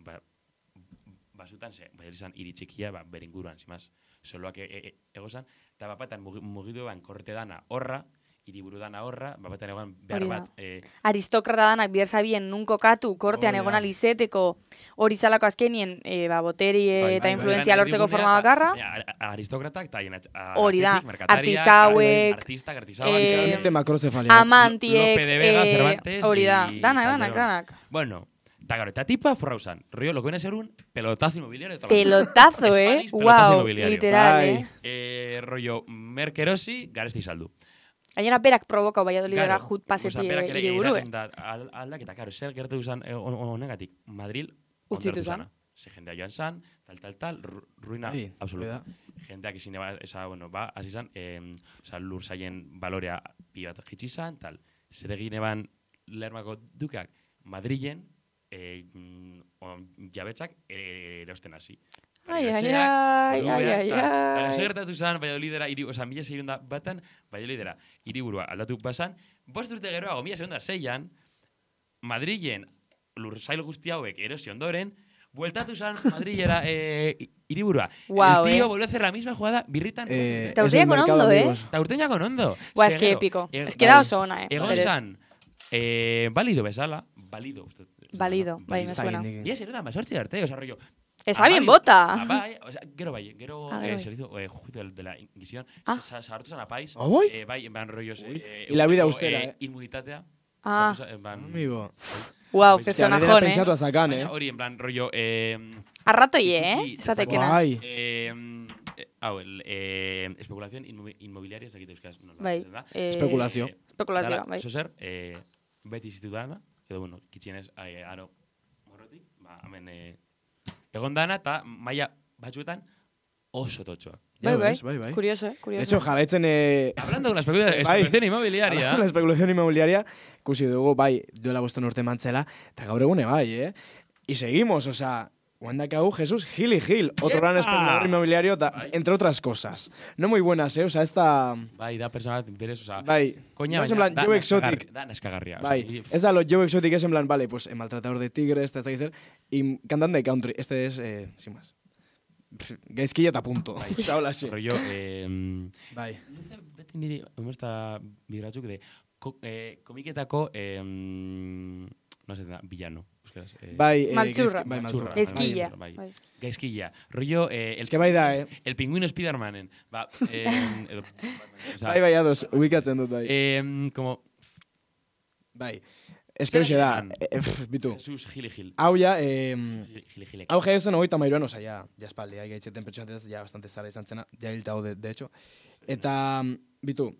basutan ze, Valladolizan iritxikia, beringuruan, zimaz, soloak egozan, eta bapatan mugidu eban korte dana horra, hiriburu dana horra, bapaten egon behar bat... Aristokrata danak bihar zabien nun kokatu, kortean egon alizeteko hori zalako azkenien boteri eta influenzia lortzeko forma bakarra. Aristokratak eta hori da, artisauek, amantiek, hori da, danak. Bueno, eta tipa forrauzan, rollo, lo que viene a ser un pelotazo inmobiliario. Pelotazo, wow, literal, rollo, merkerosi, garesti saldu. Gainera berak provokau Valladolidera jut paseti hiriburu. Aldaketa, karo, zer gertu izan honegatik, Madril utzitu zan. Ze jendea joan zan, tal, ruina absoluta. Jendeak izin hasi zan, lur zaien balorea bi bat jitsi zan, tal. Zer egin eban Lermako dukeak, Madrilen, jabetzak erosten hasi. Ai. Zer gertatu zan, Valladolidera, mila segunda batan, Valladolidera, hiriburua aldatu basan, 5 urte geroago, 1906an, Madrilen, lursail guzti hauek erosi ondoren, bueltatu zan Madrilera hiriburua. El tío volvió a hacer la misma jugada, birritan... Taurteña con ondo, Taurteña con ondo. Buah, es que épico. Es que da oso ona, Egon zan, válido bezala, válido, bai, me suena. Y es era más sortzi arte, o sea, rollo... Esa bien bota. Bai, o sea, gero se le hizo juicio de la Inquisición, se hartu zan apaiz, bai, van rollos... Y la vida austera, Inmunitatea. Amigo. Wow, personajón, pentsatu azakan, Hori, en plan, rollo... Arratoi, esatekena. Bai. Especulación inmobiliaria, ez dakit euskaz. Bai. Espekulazio, bai. Zozer, beti izitu dana, edo, bueno, kitxienez, aro, morrotik, hemen... Egon dana eta maila batzuetan oso totxoak. Bai. Curioso. De hecho, jarraitzen... Hablando de la especulación inmobiliaria. Hablando de la especulación inmobiliaria, ikusi dugu, bai, duela 5 urte mantzela, eta gaur egune, bai, Y seguimos, o sea, Guandakau Jesús Gil y Gil, otro gran especulador inmobiliario, entre otras cosas. No muy buenas, o sea, esta... Bai, da persona berez, o sea... Bai, coña, no es en plan, Joe Exotic. Da neskagarria. Bai, es a lo Joe Exotic, es en plan, vale, pues maltratador de tigres, este es ser, y cantante de country, este es, sin más. Gaizkilla eta punto. Bai, osa, hola, sí. Rollo, Bai. beti niri, humorista bidratzuk de, komiketako, no sé, villano. Bai, Maltzurra. Bai, maltzurra. Gaizkilla. Bai. Gaizkilla. Rollo, Es que bai da, el pingüino Spidermanen. Ba, edo, o sea, Bai, ados, ubikatzen dut, bai. Como... Bai. Es que hoxe da, bitu. Jesús Gil y Gil. Hau ja, Gil. hau jaiozen 33an, oza, ja espaldi, gaitzeten pertsonatez, ja bastante zara izan zena, ja hilta de hecho. Eta, bitu,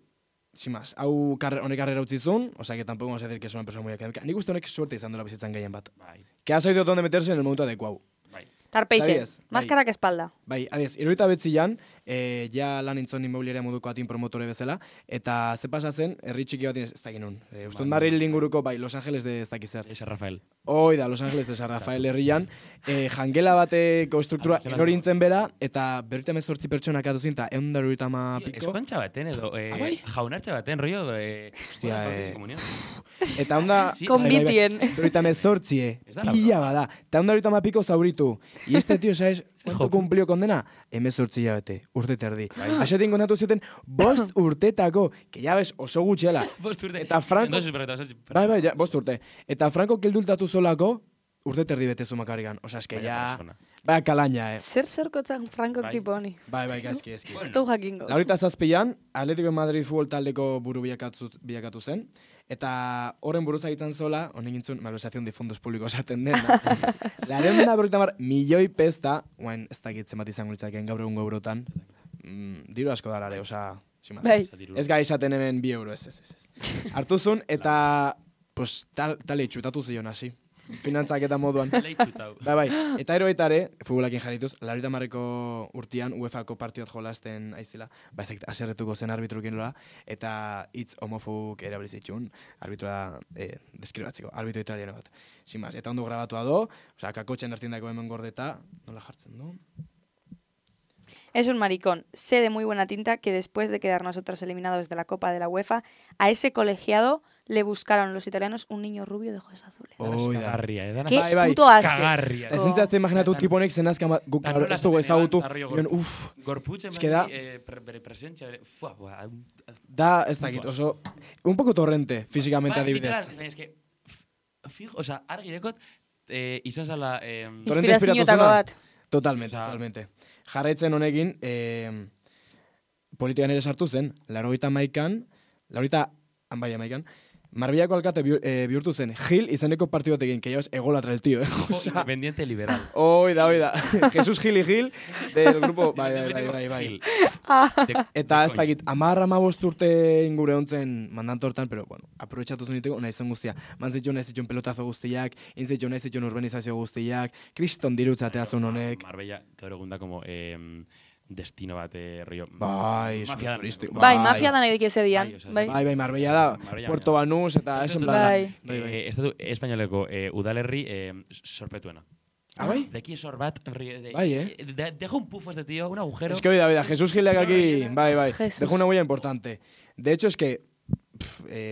sin más, hau honek karrera utzizun, o sea, que tampoco vamos a decir que es una persona muy académica. Nik uste honek suerte izan dola bizitzan gehien bat. Bai. Que ha sabido dónde meterse en el momento adecuado. Bai. Tarpeixe, Sabies? maskarak espalda. Bai, adiez, 77an, ja lan intzon inmobiliaria moduko atin promotore bezala, eta ze pasa zen, herri txiki bat ez dakit nun. Ustut Madrid inguruko, bai, Los Angeles de ez dakit zer. San Rafael. Hoi da, Los Angeles de San Rafael herrian, jangela bateko struktura erorintzen bera, eta 38 pertsonak atuzin, eta 190 piko. Eskontxa baten edo, jaunartxa baten, rollo, Hostia, eta onda... Konbitien. 38, pila bada. Eta 190 piko zauritu. Y este tío, ¿sabes cuánto cumplió condena? 18 hilabete, urte terdi. Asetin kontatu zuten, 5 urtetako, que ya ves, oso gutxela. 5 urte. Eta Franco... Bai, ja, 5 urte. Eta Franco keldultatu solako, urte terdi betezu makarrigan. Osa, eske ya... Bai, kalaina, Zer kotzak Frankok tipo honi. Bai, gaizki. Ez dugu jakingo. Laurita zazpian, Atletico de Madrid futbol taldeko buru bilakatu zen. Eta horren buruz agitzen zola, honen gintzun, malversazion de fondos públicos esaten dena. Laren da berroita mar, milioi pesta, guain ez dakitzen bat izango litzaken gaur egun eurotan, diru asko darare, osa, bai. Ez gai esaten hemen 2 euro, ez. Hartuzun, eta, pues, tale txutatu zion hasi. Finantzak eta moduan. Bai, eta eroetare, futbolakin jarrituz, 90 urtean UEFA-ko partiot jolasten aizela, ba ezakit, aserretuko zen arbitrukin lola, eta hitz homofobuk erabilizitxun, arbitroa deskribatzeko, arbitro italiano bat. Sin más, eta ondo grabatua do, osea, kakotxen artindako hemen gordeta, nola jartzen du? Es un maricón. Sé de muy buena tinta que después de quedar nosotros eliminados de la Copa de la UEFA, a ese colegiado le buscaron los italianos un niño rubio de ojos azules. Cagarria, Qué puto asco. Cagarria. Ezintzazte imaginatu tiponek zenazka guk ez dugu ezagutu. Gorputxe bere presentzia, da, ez dakit, oso, un poco torrente, físicamente adibidez. Es que, fijo, o sea, argi dekot, izan zala... Inspirazioetako bat. Totalmente. Jarraitzen honekin, politikan ere sartu zen, 91an, Marbellako alkate bihurtu zen, Gil izeneko partidu batekin, que llevas egolatra el tío, Independiente liberal. Oida. Jesús Gil y Gil, del grupo, bai. Eta ez dakit, 10-15 urte ingure hontzen mandanto hortan, pero, bueno, aprovechatu zeniteko, nahi zen guztia. Nahi zituen pelotazo guztiak, nahi zituen urbanizazio guztiak, kriston dirutzatea zuen honek. Marbella, gaur egun da, como... destino bat, rollo... Bai, turístico. Bai, mafia da nahi dik ese dian. Bai, Marbella da, Puerto Banús, eta esen plan. Estatu espainoleko udalerri sorpetuena. Ah, bai? Deki esor bat, bai, deja un pufo este tío, un agujero. Es que oida, Jesús Gilek aquí, bai, deja una huella importante. De hecho, es que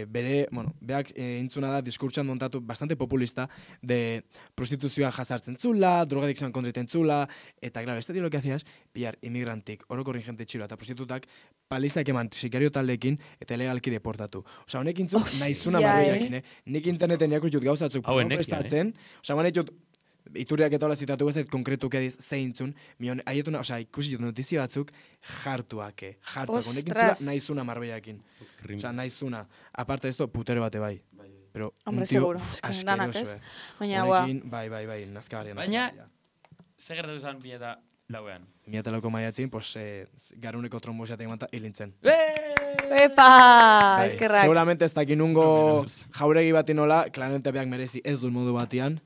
beak intzuna da diskurtsan montatu bastante populista de prostituzioa jasartzen zula, drogadikzioan kontriten zula, eta claro, este tío lo que hacía es pillar inmigrantik, orokorrin jente txilo eta prostitutak palizak eman sikario taldekin eta legalki deportatu. Osea, honek intzun nahizuna marroiakin, Nik interneten jakutxut gauzatzuk prestatzen, osea, manetxut Ituriak eta hola zitatu bezait konkretuk ediz zeintzun, aietuna, osea, ikusi jut notizia batzuk jartuak, honekin zula nahizuna Marbeiakin. Osea, nahizuna. Aparte esto, putero bate bai. Pero hombre, un tío seguro. asqueroso, Baina, honekin, bai, nazkagarria. Baina, segertatu zan 2004an. 2004ko maiatzin, pues, garuneko tromboseatek manta hilintzen. Epa! Eskerrak. Seguramente ez dakin nungo jauregi bati nola, claramente beak merezi ez duen modu batian.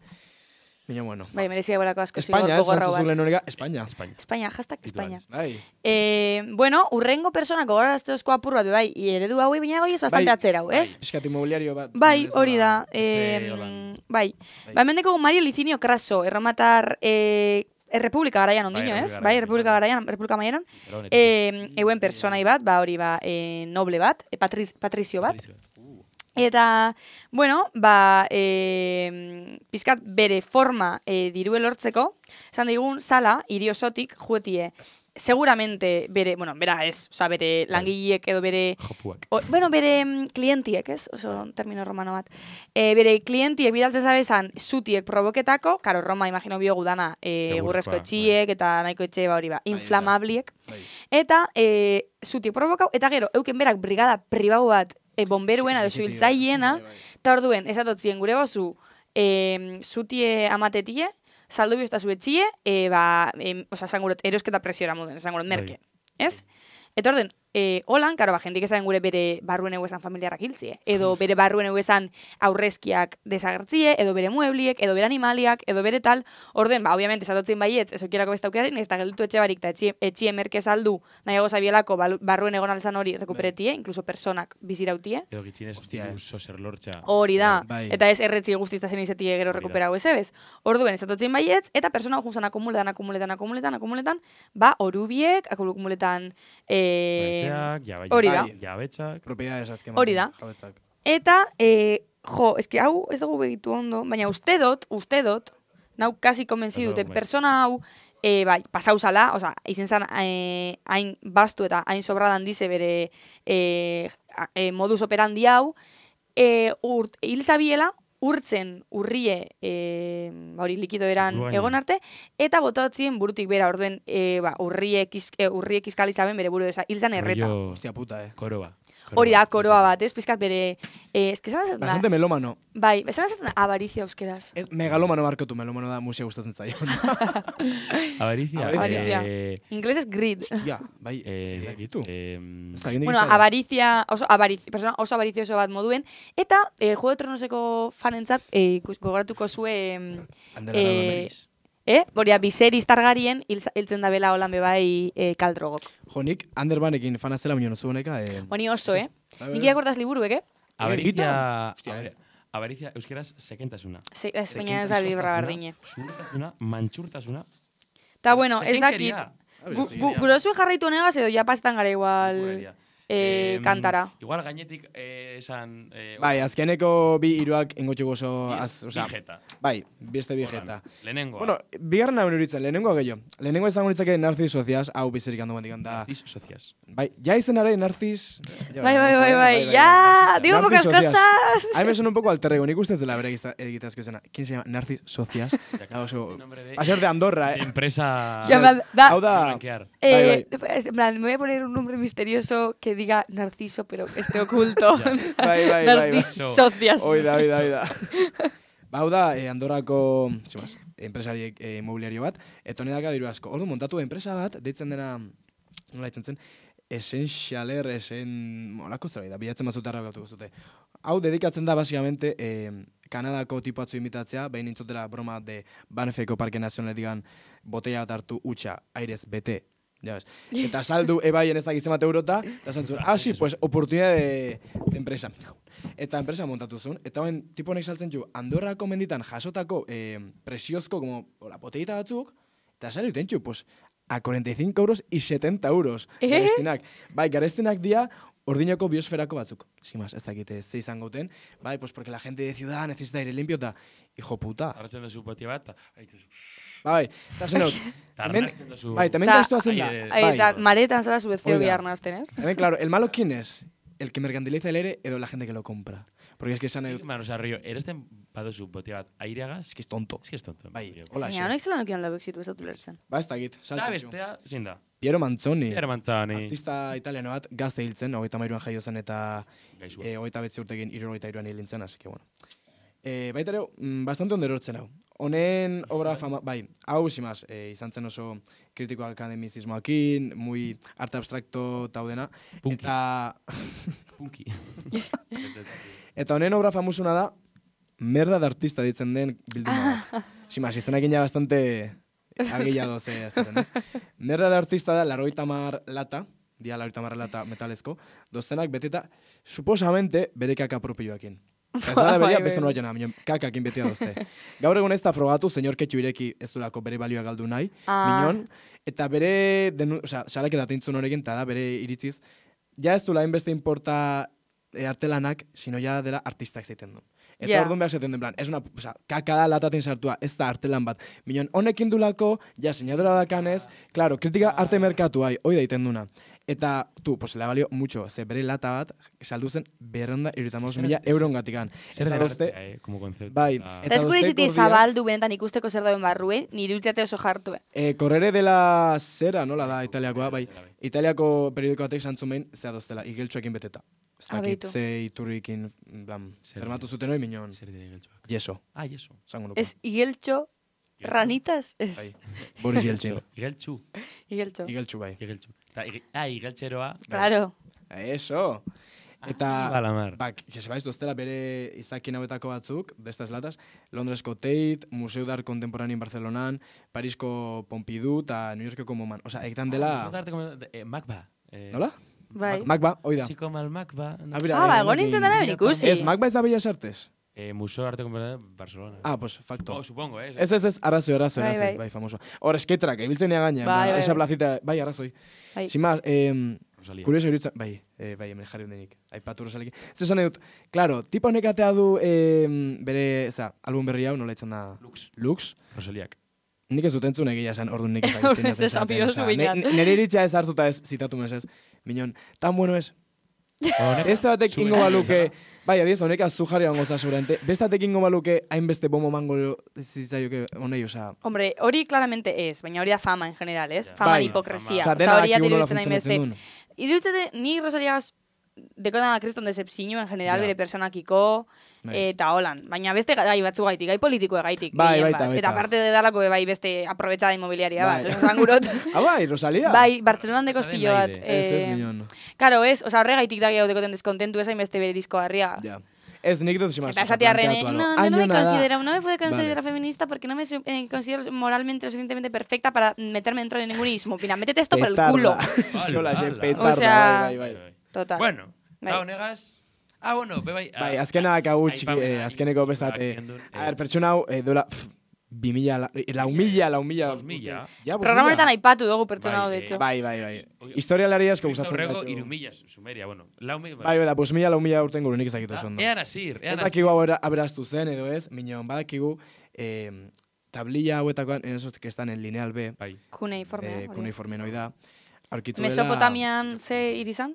Baina, bueno. Bai, merezia bolako asko España, zantzuzulen horrega, España. España, hashtag España. Bai. Bueno, urrengo personako goraraztezko apur bat, bai, eredu hauei, baina goi ez bastante atzerau, ez? Piskat inmobiliario bat. Bai, hori da. Bai. Ba, mendeko Mario Licinio Craso, erromatar Errepublika garaian ondino, ez? Bai, Errepublika garaian, Errepublika maieran. Euen personai bat, ba, hori ba, noble bat, patrizio bat. Eta, bueno, ba, pizkat bere forma dirue lortzeko, esan digun, sala, iriosotik, juetie, seguramente bere, bueno, bera ez, oza, bere langileek edo bere... Jopuak. Bueno, bere klientiek, ez? Oso termino romano bat. Bere klientiek bidaltze zabezan zutiek provoketako, karo, Roma, imagino biogu dana, gurrezko etxiek, eta nahiko etxe, ba, hori ba, inflamabliek. Eta zutiek provokau, eta gero, euken berak brigada pribau bat, bomberuen, edo suhiltzaiena, eta orduen, esatotzien gure gozu, zutie amatetie, saldo biosta zuetxie, oza, esanguret, erosketa presiora moden, esanguret, merke, ez? Eta orden, holan, karo, ba, jendik esan gure bere barruen eguesan familiarrak hiltzie, edo bere barruen eguesan aurrezkiak desagertzie, edo bere muebliek, edo bere animaliak, edo bere tal, orden, ba, obviamente, esatotzen baietz, ez okierako besta aukeraren, ez da gelditu etxe barik, eta etxie merke saldu, nahiago zabielako barruen egon alzan hori rekuperetie, incluso personak bizirautie. Edo gitxinez, diruzo zer lortza. Hori da, eta ez erretzi guztizta zen izetie gero rekuperau ez ebez. Orduen, esatotzen baietz, eta persona junzan akumuletan, ba, orubiek, akumuletan, hori da. Jabetxak. Propiedades azken. Hori da. Eta, eski hau ez dugu begitu ondo, baina uste dot, nau kasi konbentzi dute, persona hau, bai, pasau zala, oza, izen zan hain bastu eta hain sobradan dize bere modus operandi hau, hil zabiela, urtzen urrie hori likido eran egon arte, eta botatzen burutik bera, orduen urriek izkalizaben bere buru, hil zan erreta. Hostia puta, Koroa. Hori da, koroa bat, ez? Pizkat bere... La gente melómano. Bai, esan ezaten avarizia euskeraz. Megalómano markotu, melómano da musea gustatzen zaion. Avarizia. Inglés es greed. Ja, bai, ezakitu. Bueno, avarizia, oso avarizioso bat moduen. Eta, Juego de Tronoseko fanentzat, gogoratuko zue... Boria, Viserys Targaryen hiltzen da bela holan bebai kaldrogok. Jo, nik Anderbanekin fanazela minio nozu honeka. Honi oso, Nik iakordaz liburuek, Avaricia, euskeraz, sekentasuna. Ez, baina ez da libra bardine. Zurtasuna, mantxurtasuna. Ta bueno, ez dakit. Gurozu jarraitu honegaz edo ja pasetan gara igual kantara. Igual gainetik esan... Bai, azkeneko bi iruak engotxuko oso... Bijeta. Bai, beste bijeta. Lehenengoa. Bueno, bigarren hau nuritzen, lehenengoa gehiago. Lehenengoa izango nitzake Narcis Socias, hau bizerik handu bandikan da. Narcis Socias. Bai, ja izen ara Narcis... Bai, ya, digo pocas cosas. Ahí me suena un poco alter ego, nik ustez dela bere egitazko izena. ¿Quién se llama? Narcis Socias. Va a ser de Andorra, Empresa... Hau da... Me voy a poner un nombre misterioso que diga Narciso, pero esté oculto. Bai. Narcisocias. Oida. Hau da, Andorrako enpresari inmobiliario bat, eta honedaka diru asko. Ordu montatu enpresa bat, deitzen dena, nola ditzen zen, Essentialer, molako zerbait da, bilatzen mazutarra gautuko zute. Hau dedikatzen da, basikamente, Kanadako tipo atzu imitatzea, behin nintzotela broma de Banffeko Parke Nazionale digan, botella bat hartu utxa, airez bete, ya ves. Eta saldu ebaien ez dakitzen bat eurota, eta zantzun, sí, pues, oportunidad de empresa. Eta enpresa montatu zuen, eta hoen tipo honek saltzen du, Andorrako menditan jasotako presiozko, como, botellita batzuk, eta sali duten txu, pues, a 45 euros y 70 euros. Garestinak. Bai, garestinak dia, ordinoko biosferako batzuk. Sin más, ez dakite ze izango uten. Bai, pues porque la gente de ciudad necesita aire limpio, eta, hijo puta. Arratzen da zu botia bat, Bai, eta zenot. Bai, también da esto hacen da. Eta maretan zara subezio biharnazten, ez? También, claro, el malo, ¿quién es? El que mercantiliza el aire edo la gente que lo compra. Porque es que esan... Mano, Río, eresten badozu botia bat aireagaz? Es que es tonto. Bai, hola, xe. Honek zelan okian lagu exitu ez dut ulertzen. Ba, ez dakit, saltzen zu. Bestea, zein da? Piero Manzoni. Artista italiano bat, gazte hiltzen, 33an jaio zen eta 29 urtekin 73an hilintzen, así que bueno. Baita ere, bastante onderortzen hau. Honen obra fama, bai, hau simaz, izan zen oso kritiko akademizismoakin, muy arte abstrakto taudena. Punky. Eta honen obra famusuna da, merda de artista ditzen den bilduma bat. Simas, izenakin ja bastante argillado ze azten, ez? Merda de artista da 80 lata, dia 80 lata metalezko, dozenak beteta, suposamente bere kaka propioekin. Ez da beria, beste nola jena, kakakin betia dozte. Gaur egun ez da frogatu, senyor Ketxu ireki ez durako bere balioa galdu nahi, minon, eta bere, salaketa teintzun horrekin, eta da bere iritziz, ja ez du lain beste importa artelanak, sino ja dela artistak zeiten du. Eta orduan behar zeiten den plan, ez una, kaka da latatin sartua, ez da artelan bat. Minon, honekin dulako, ja, sinadura dakanez, claro, kritika arte merkatu hoi daiten duna. Eta, pues, le balio mucho, ze bere lata bat, saldu zen 275.000 euron gatikan. Zer da arte, como concepto. Bai. Eta eskure izitik zabaldu benetan ikusteko zer dauen barruen, nire utziate oso jartue. Correre de la Sera, nola da, italiakoa, bai. Italiako periodiko batek santzun behin, zea doztela, igeltxoekin beteta. Zakit, ze iturrikin, bermatu zuten hori minon. Zer dira igeltxoak? Yeso. Yeso. Ez igeltxo, ranitas, ez. Boris Yeltsin. Igeltxu. Igeltxu, bai. Igeltxu. Igeltxeroa. Claro. Eso. Eta, que sepaiz doztela bere izakien hauetako batzuk, destas latas, Londresko Tate, Museu d'Art Contemporáneo Barcelonan, Parisko Pompidou, eta New Yorkeko MoMAn. Osa, egitan dela... Macba. Nola? Bai. Macba, hoi da. Así como el Macba. Egon nintzen dara ben ikusi. Ez, Macba ez da Bellas Artes? Museo de Arte Contemporáneo Barcelona. Pues facto. Supongo, Ez, arrazoi, bai, famoso. Hor, esketrak, ebiltzen nia gaina, esa plazita, bai, arrazoi. Sin más, kurioso irutzen, bai, hemen jarri hundenik, aipatu Rosalekin. Zesan edut, claro, tipa honek atea du bere, album berri hau, nola itzen da? Lux. Rosaliak. Nik ez dut entzun egia esan, orduan nik ez ezatzen. Nere iritzia ez hartuta ez zitatu mesez. Minon, tan bueno ez. Beste batek ingo baluke, bai, adiez, honek azu jarri hongo seguramente, beste batek ingo baluke hainbeste bomo mango zitzaioke honei, oza... Hombre, hori claramente ez, baina hori da fama en general, ez? Fama de hipokresia. Oza, hori atiruditzen hainbeste. Iruditzete, ni Rosaliagaz dekotan da kriston decepzio en general bere personakiko, eta holan. Baina beste gai batzu gaitik, gai politiko gaitik. Baita. Eta parte de dalako bai beste aprobetxada inmobiliaria bat. Esan gurot. Bai, Rosalia? Bai, Bartzelonan deko espillo bat. Ez minon. Karo, ez, oza, horre gaitik da gehiago dekoten deskontentu ezain beste bere disko harria. Ez, nik dut simaz. Eta esatiarren, no me puedo considerar feminista porque no me considero moralmente lo suficientemente perfecta para meterme dentro de ningún ismo. Pina, métete esto por el culo. Petarda, bai. Total. Bueno, hau negaz... bueno, bai. Bai, azkenak hau azkeneko bestat. Pertsona hau, dola... 2.000, lau mila. Programonetan aipatu dugu pertsona hau, de hecho. Bai. Historialari asko gustatzen dut. Horrego, 3.000, Sumeria, bueno. Bai, pues 1.000 urten guru nik ezakitu zondo. Ean asir. Ez dakigu hau aberaztu zen, edo ez, minon, badakigu, tablilla hauetakoan, en esos que están en lineal B. Cuneiforme noi da. Mesopotamian ze irizan?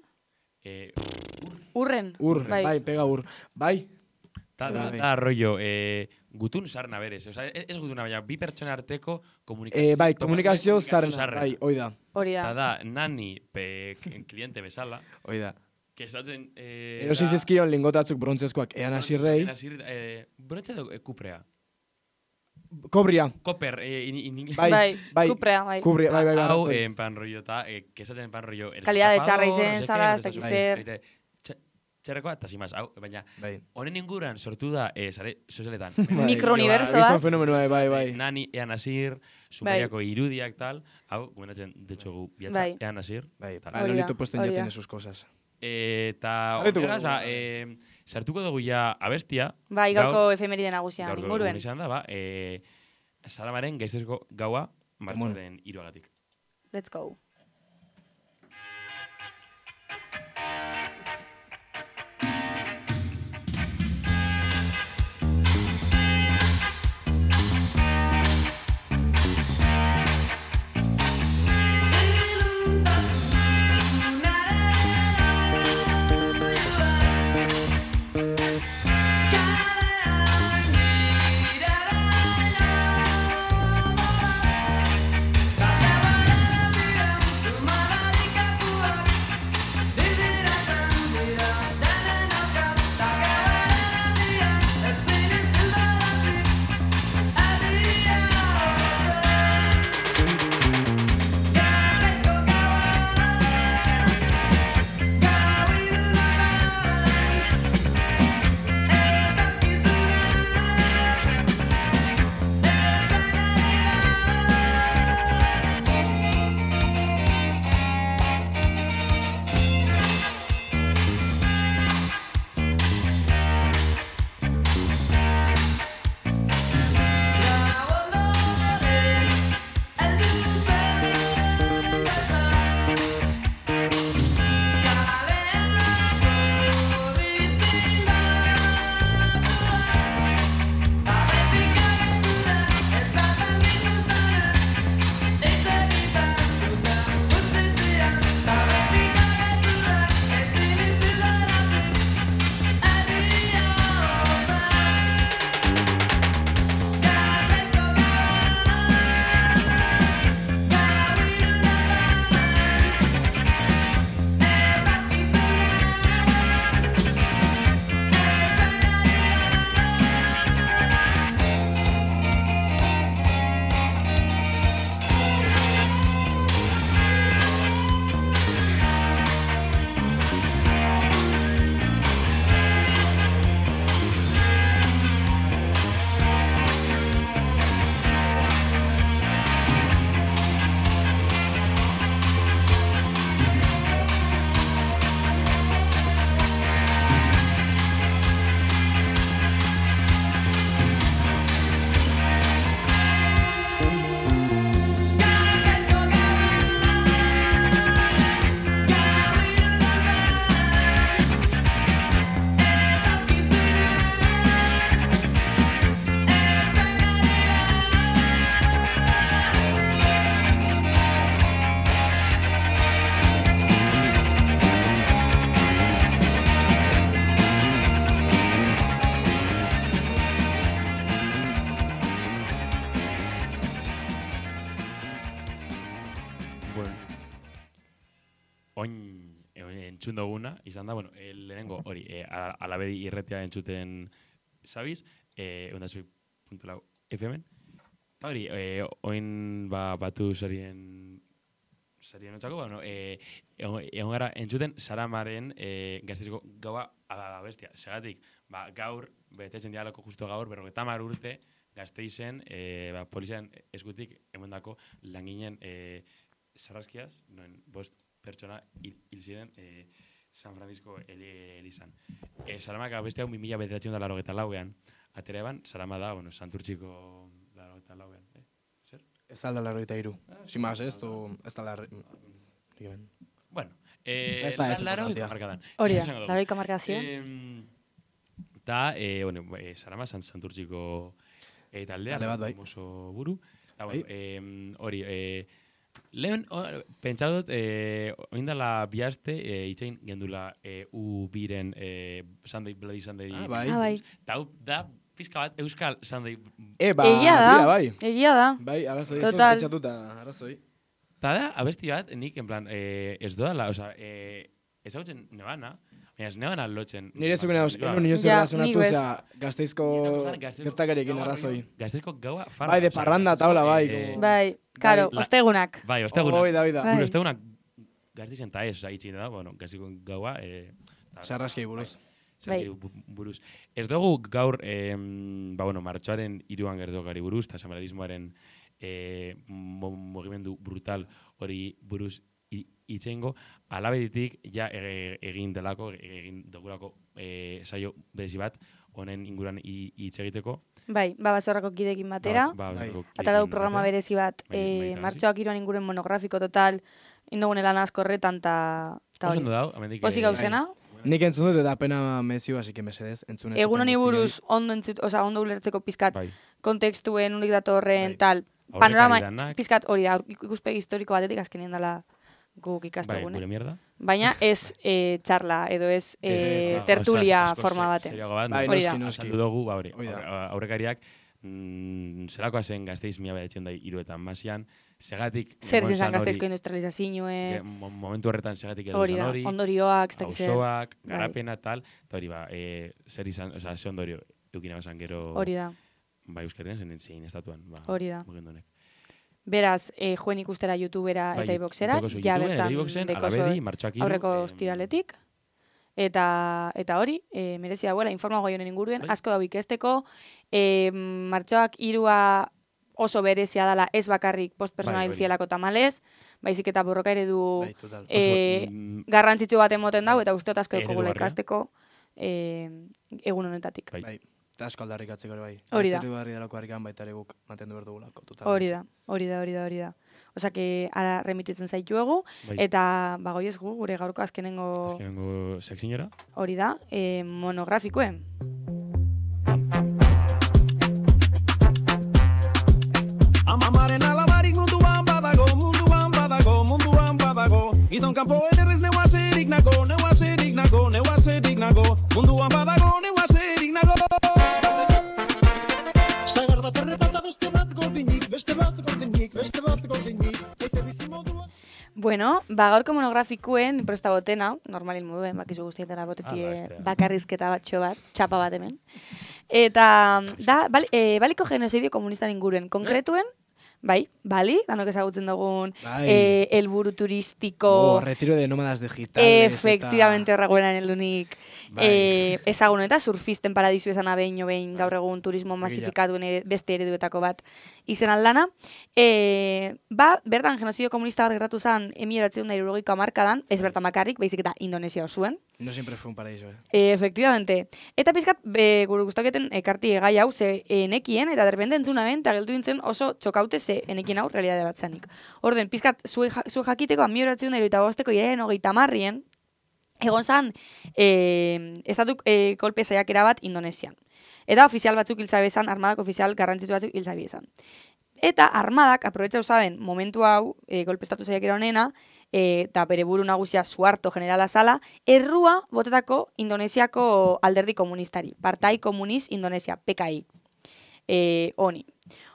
Urren. Bai, pega ur. Bai. Da rollo, gutun sarna berez. Ez gutuna, baina bi pertsona arteko komunikazio... Bai, komunikazio sarna. Bai, hoi da. Da, nani kliente bezala. Hoi da. Kesatzen... Erosiz ezkion lingotatzuk brontzezkoak ean asirrei. Brontze edo kuprea. Kobria. Koper. Bai, kuprea, bai. Hau, en pan rollo, eta kesatzen en pan rollo... Kalidad de txarra izen, zara, ez dakiz zer... Txerrekoa, eta zimaz, baina, honen inguran sortu da, sare sozialetan. Mikrouniversoak. Fenomenoa, bai. Nani, Ean Asir, Sumeriako irudiak, tal. Hau, gomendatzen, de hecho, gu, biatza, Ean Asir. Bai, Lolito Posten ya tiene sus cosas. Eta, horregaz, sartuko dugu ja abestia. Bai, gaurko efemeride nagusian, inguruen. Gaurko izan da, Salamaren gaiztezko gaua, martxoaren 3 Let's go. entzun duguna, izan da, bueno, lehenengo hori, alabedi irretia entzuten zabiz, ondazui.lau FM-en. Eta hori, oin batu sarien otzako, bueno, egon gara entzuten Saramaren Gasteizko gaua abestia. Segatik, gaur, betetzen dialako justo gaur, 50 urte, Gasteizen, polizian eskutik emondako langinen sarraskiaz, noen 5 pertsona hil ziren San Francisco elizan. Saramak abestia 1984ean, atera eban, Sarama da, bueno, Santurtziko 84ean. Zer? Ez da la 83. Sin más, ez da la... Bueno, la 80 markadan. Hori da, la 80 markazioa. Ta, bueno, Sarama Santurtziko taldea, oso buru. Hori, lehen, pentsatu dut, oindala bihaste, itxein gendula U-biren Bloody Sunday. Bai. Ta, da, pizka bat, Euskal Sunday. Egia da. Bai, arazoi, pentsatuta, arazoi. Ta da, abesti bat, nik, en plan, ez doala, oza, ez hau zen nebana, ez nebana lotzen. Nire zuken hau, nire relazionatu, Gasteizko gertakarekin arrazoi. Gasteizko gaua farra. Bai, de parranda taula, bai. Bai, karo, ostegunak. Bai, ostegunak. Oida. Gure ostegunak Gasteizen ta ez, itxin da, bueno, Gasteizko gaua. Sarraski buruz. Buruz. Ez dugu gaur, bueno, martxoaren 3 gertokari buruz, eta samararismoaren mugimendu brutal hori buruz itxengo, alabeditik ja egin dogurako saio berezi bat, honen inguruan hitz egiteko. Bai, basorrako kidekin batera. Atara du programa berezi bat, martxoak 3 inguruan monografiko total, indogun elan asko horretan, eta hori. Pozik gauzena. Nik entzun dut eta pena mezio, así que mesedez, entzun ez. Egun honi buruz, ondo ulertzeko pizkat, kontekstuen, unik datorren, tal, panorama, pizkat hori da, ikuspegi historiko batetik azkenien dela guk ikastugune. Gure mierda. Baina ez txarla, edo ez tertulia forma baten. Hori da. Azaldu dugu, aurrekariak, zerakoa zen Gasteiz 1903 segatik... Zer zizan Gasteizko industrializazioe... Momentu horretan segatik edo zan hori... Ondorioak, hausoak, garapena, tal... Eta hori zer izan, ze ondorio eukina basan gero... Hori da. Ba, Euskarien zein estatuan. Hori da. Beraz, joen ikustera YouTubera eta iBoxera, ja bertan dekoso aurreko ostiraletik. Eta hori, merezi dagoela, informago jonen inguruen, asko dau ikesteko, martxoak 3 oso berezia dela ez bakarrik postpersonal zielako tamalez, baizik eta borroka eredu garrantzitsu bat emoten dau, eta usteot asko dekogula ikasteko egun honetatik. Eta asko aldarrikatzeko ere bai. Hori da. Zerri barri dalako harrikan baita ere guk mantendu behar dugulako. Hori da. Osa que ara remititzen zaituegu, eta bagoiez gure gaurko azkenengo sekzinora. Hori da, monografikoen. Amamaren alabarik munduan badago Gizon kanpo ederrez neuazerik nago Munduan badago neuazerik nago Sagar bat errepata beste bat gordinik Bueno, gaurko monografikoen presta botena, normalin moduen, bakizu guztietara botetie bakarrizketa batxo bat, txapa bat hemen. Eta da, baliko genozidio komunistan inguruen, konkretuen, bai, bali, danok ezagutzen dugun, helburu turistiko... Retiro de nómadas digitales. Efectivamente, horreguenan heldunik. Ezagun eta surfisten paradizu esan behin gaur egun turismo masifikatuen beste ereduetako bat izen aldana. Bertan genozidio komunista bat gertatu zen 1970ko hamarkadan, ez bertan bakarrik, baizik eta Indonesia osuen. No siempre fue un paraíso, Efectivamente. Eta pizkat, gure guztaketen ekarti gai hau ze enekien, eta derrepende entzuna ben, eta geldu dintzen oso txokaute ze enekien hau realidade bat zanik. Orden, pizkat, zu jakiteko 1985ko iraren 30 egon zan, estatuk kolpe saiakera bat Indonesian. Eta ofizial batzuk hiltzabezan, armadak ofizial garrantzitsu batzuk hiltzabezan. Eta armadak, aprobetxau zaben, momentu hau, kolpe estatu saiakera honena, eta bere buru nagusia Suharto generala zala, errua botetako Indonesiako alderdi komunistari. Partai Komunis Indonesia, PKI. Honi.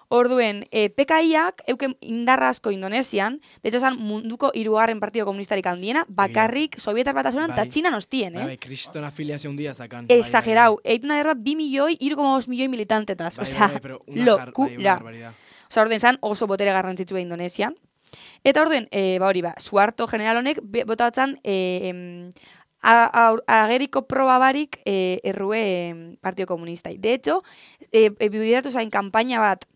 Orduen, PKIak euken indarra asko Indonesian, de hecho, munduko 3. partido komunistarik handiena, bakarrik Sovietar Batasunan eta Txinan ostien, Bai, kriston afiliazio handia zakan. Exagerau, egiten da 2 milioi, 3,5 milioi militantetaz, osea, lokura. Osa, orden zan oso botere garrantzitsua Indonesian. Eta orden, Suharto general honek botatzen ageriko proba barik errue Partido Komunistai. De hecho, bideratu zain kampaina bat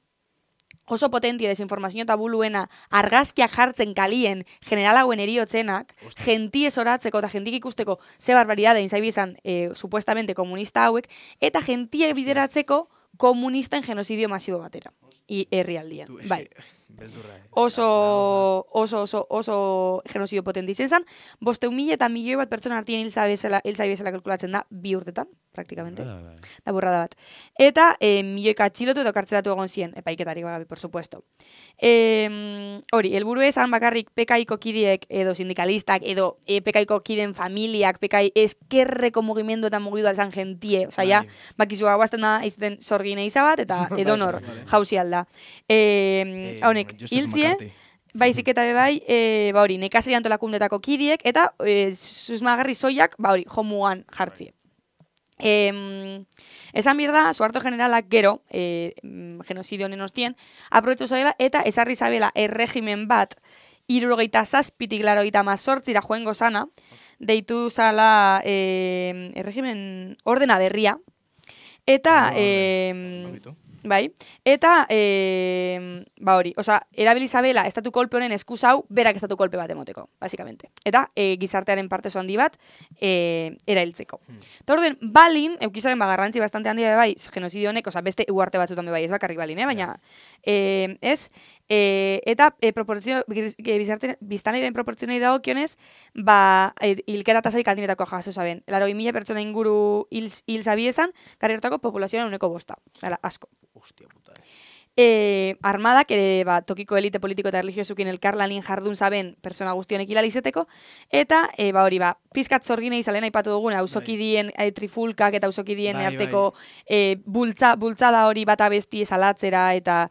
oso potentia desinformazio eta buluena argazkiak jartzen kalien generalagoen eriotzenak, jentie zoratzeko eta jentik ikusteko ze barbaridade inzaibizan supuestamente komunista hauek, eta jentie bideratzeko komunisten genocidio masibo batera. Herrialdien. Bai. Oso genocidio potente izan zan, 500 eta milioi bat pertsona artien hil zabezela kalkulatzen da 2 urtetan, praktikamente. Da burrada bat. Eta milioika atxilotu eta kartzelatu egon ziren, epaiketarik bagabe, por supuesto. Hori, helburu esan bakarrik PKIko kideek edo sindikalistak, edo PKIko kideen familiak, PKI eskerreko mugimendu eta mugidu alzan gentie, oza, ja, bakizua guazten da, izten zorgine izabat, eta edonor jauzi alda. Honek, hiltzie, baizik eta bebai, nekazari antolakundetako kidiek, eta susmagarri zoiak, jomugan jartzie. Esan birda, Suharto generalak gero, genozidio honen ostien, aprobetxo zabela, eta esarri zabela erregimen bat, 77tik 88ra joengo sana, deitu zala erregimen ordena berria, eta bai, eta erabili zabela estatu kolpe honen eskuzau berak estatu kolpe bat emoteko, basikamente. Eta gizartearen parte handi bat erailtzeko. Eta orden, Balin, eukizaren garrantzi bastante handia bai, genozidio honek, beste uarte batzutan bai, ez bakarrik Balin, baina ez, eta biztanleiren proportzionei dagokionez, hilketa tasarik aldinetako jaso zaben. 80.000 pertsona inguru hil zabiezan, garriertako populazioan uneko 5. Asko. Hostia puta. Armadak tokiko elite politiko eta religiosukin elkarlanin jardun zaben persona guztionek hilal izeteko, eta pizkat zorgine izalen aipatu dugun, auzokidien trifulkak eta auzokidien arteko bultzada hori bat abesti esalatzera, eta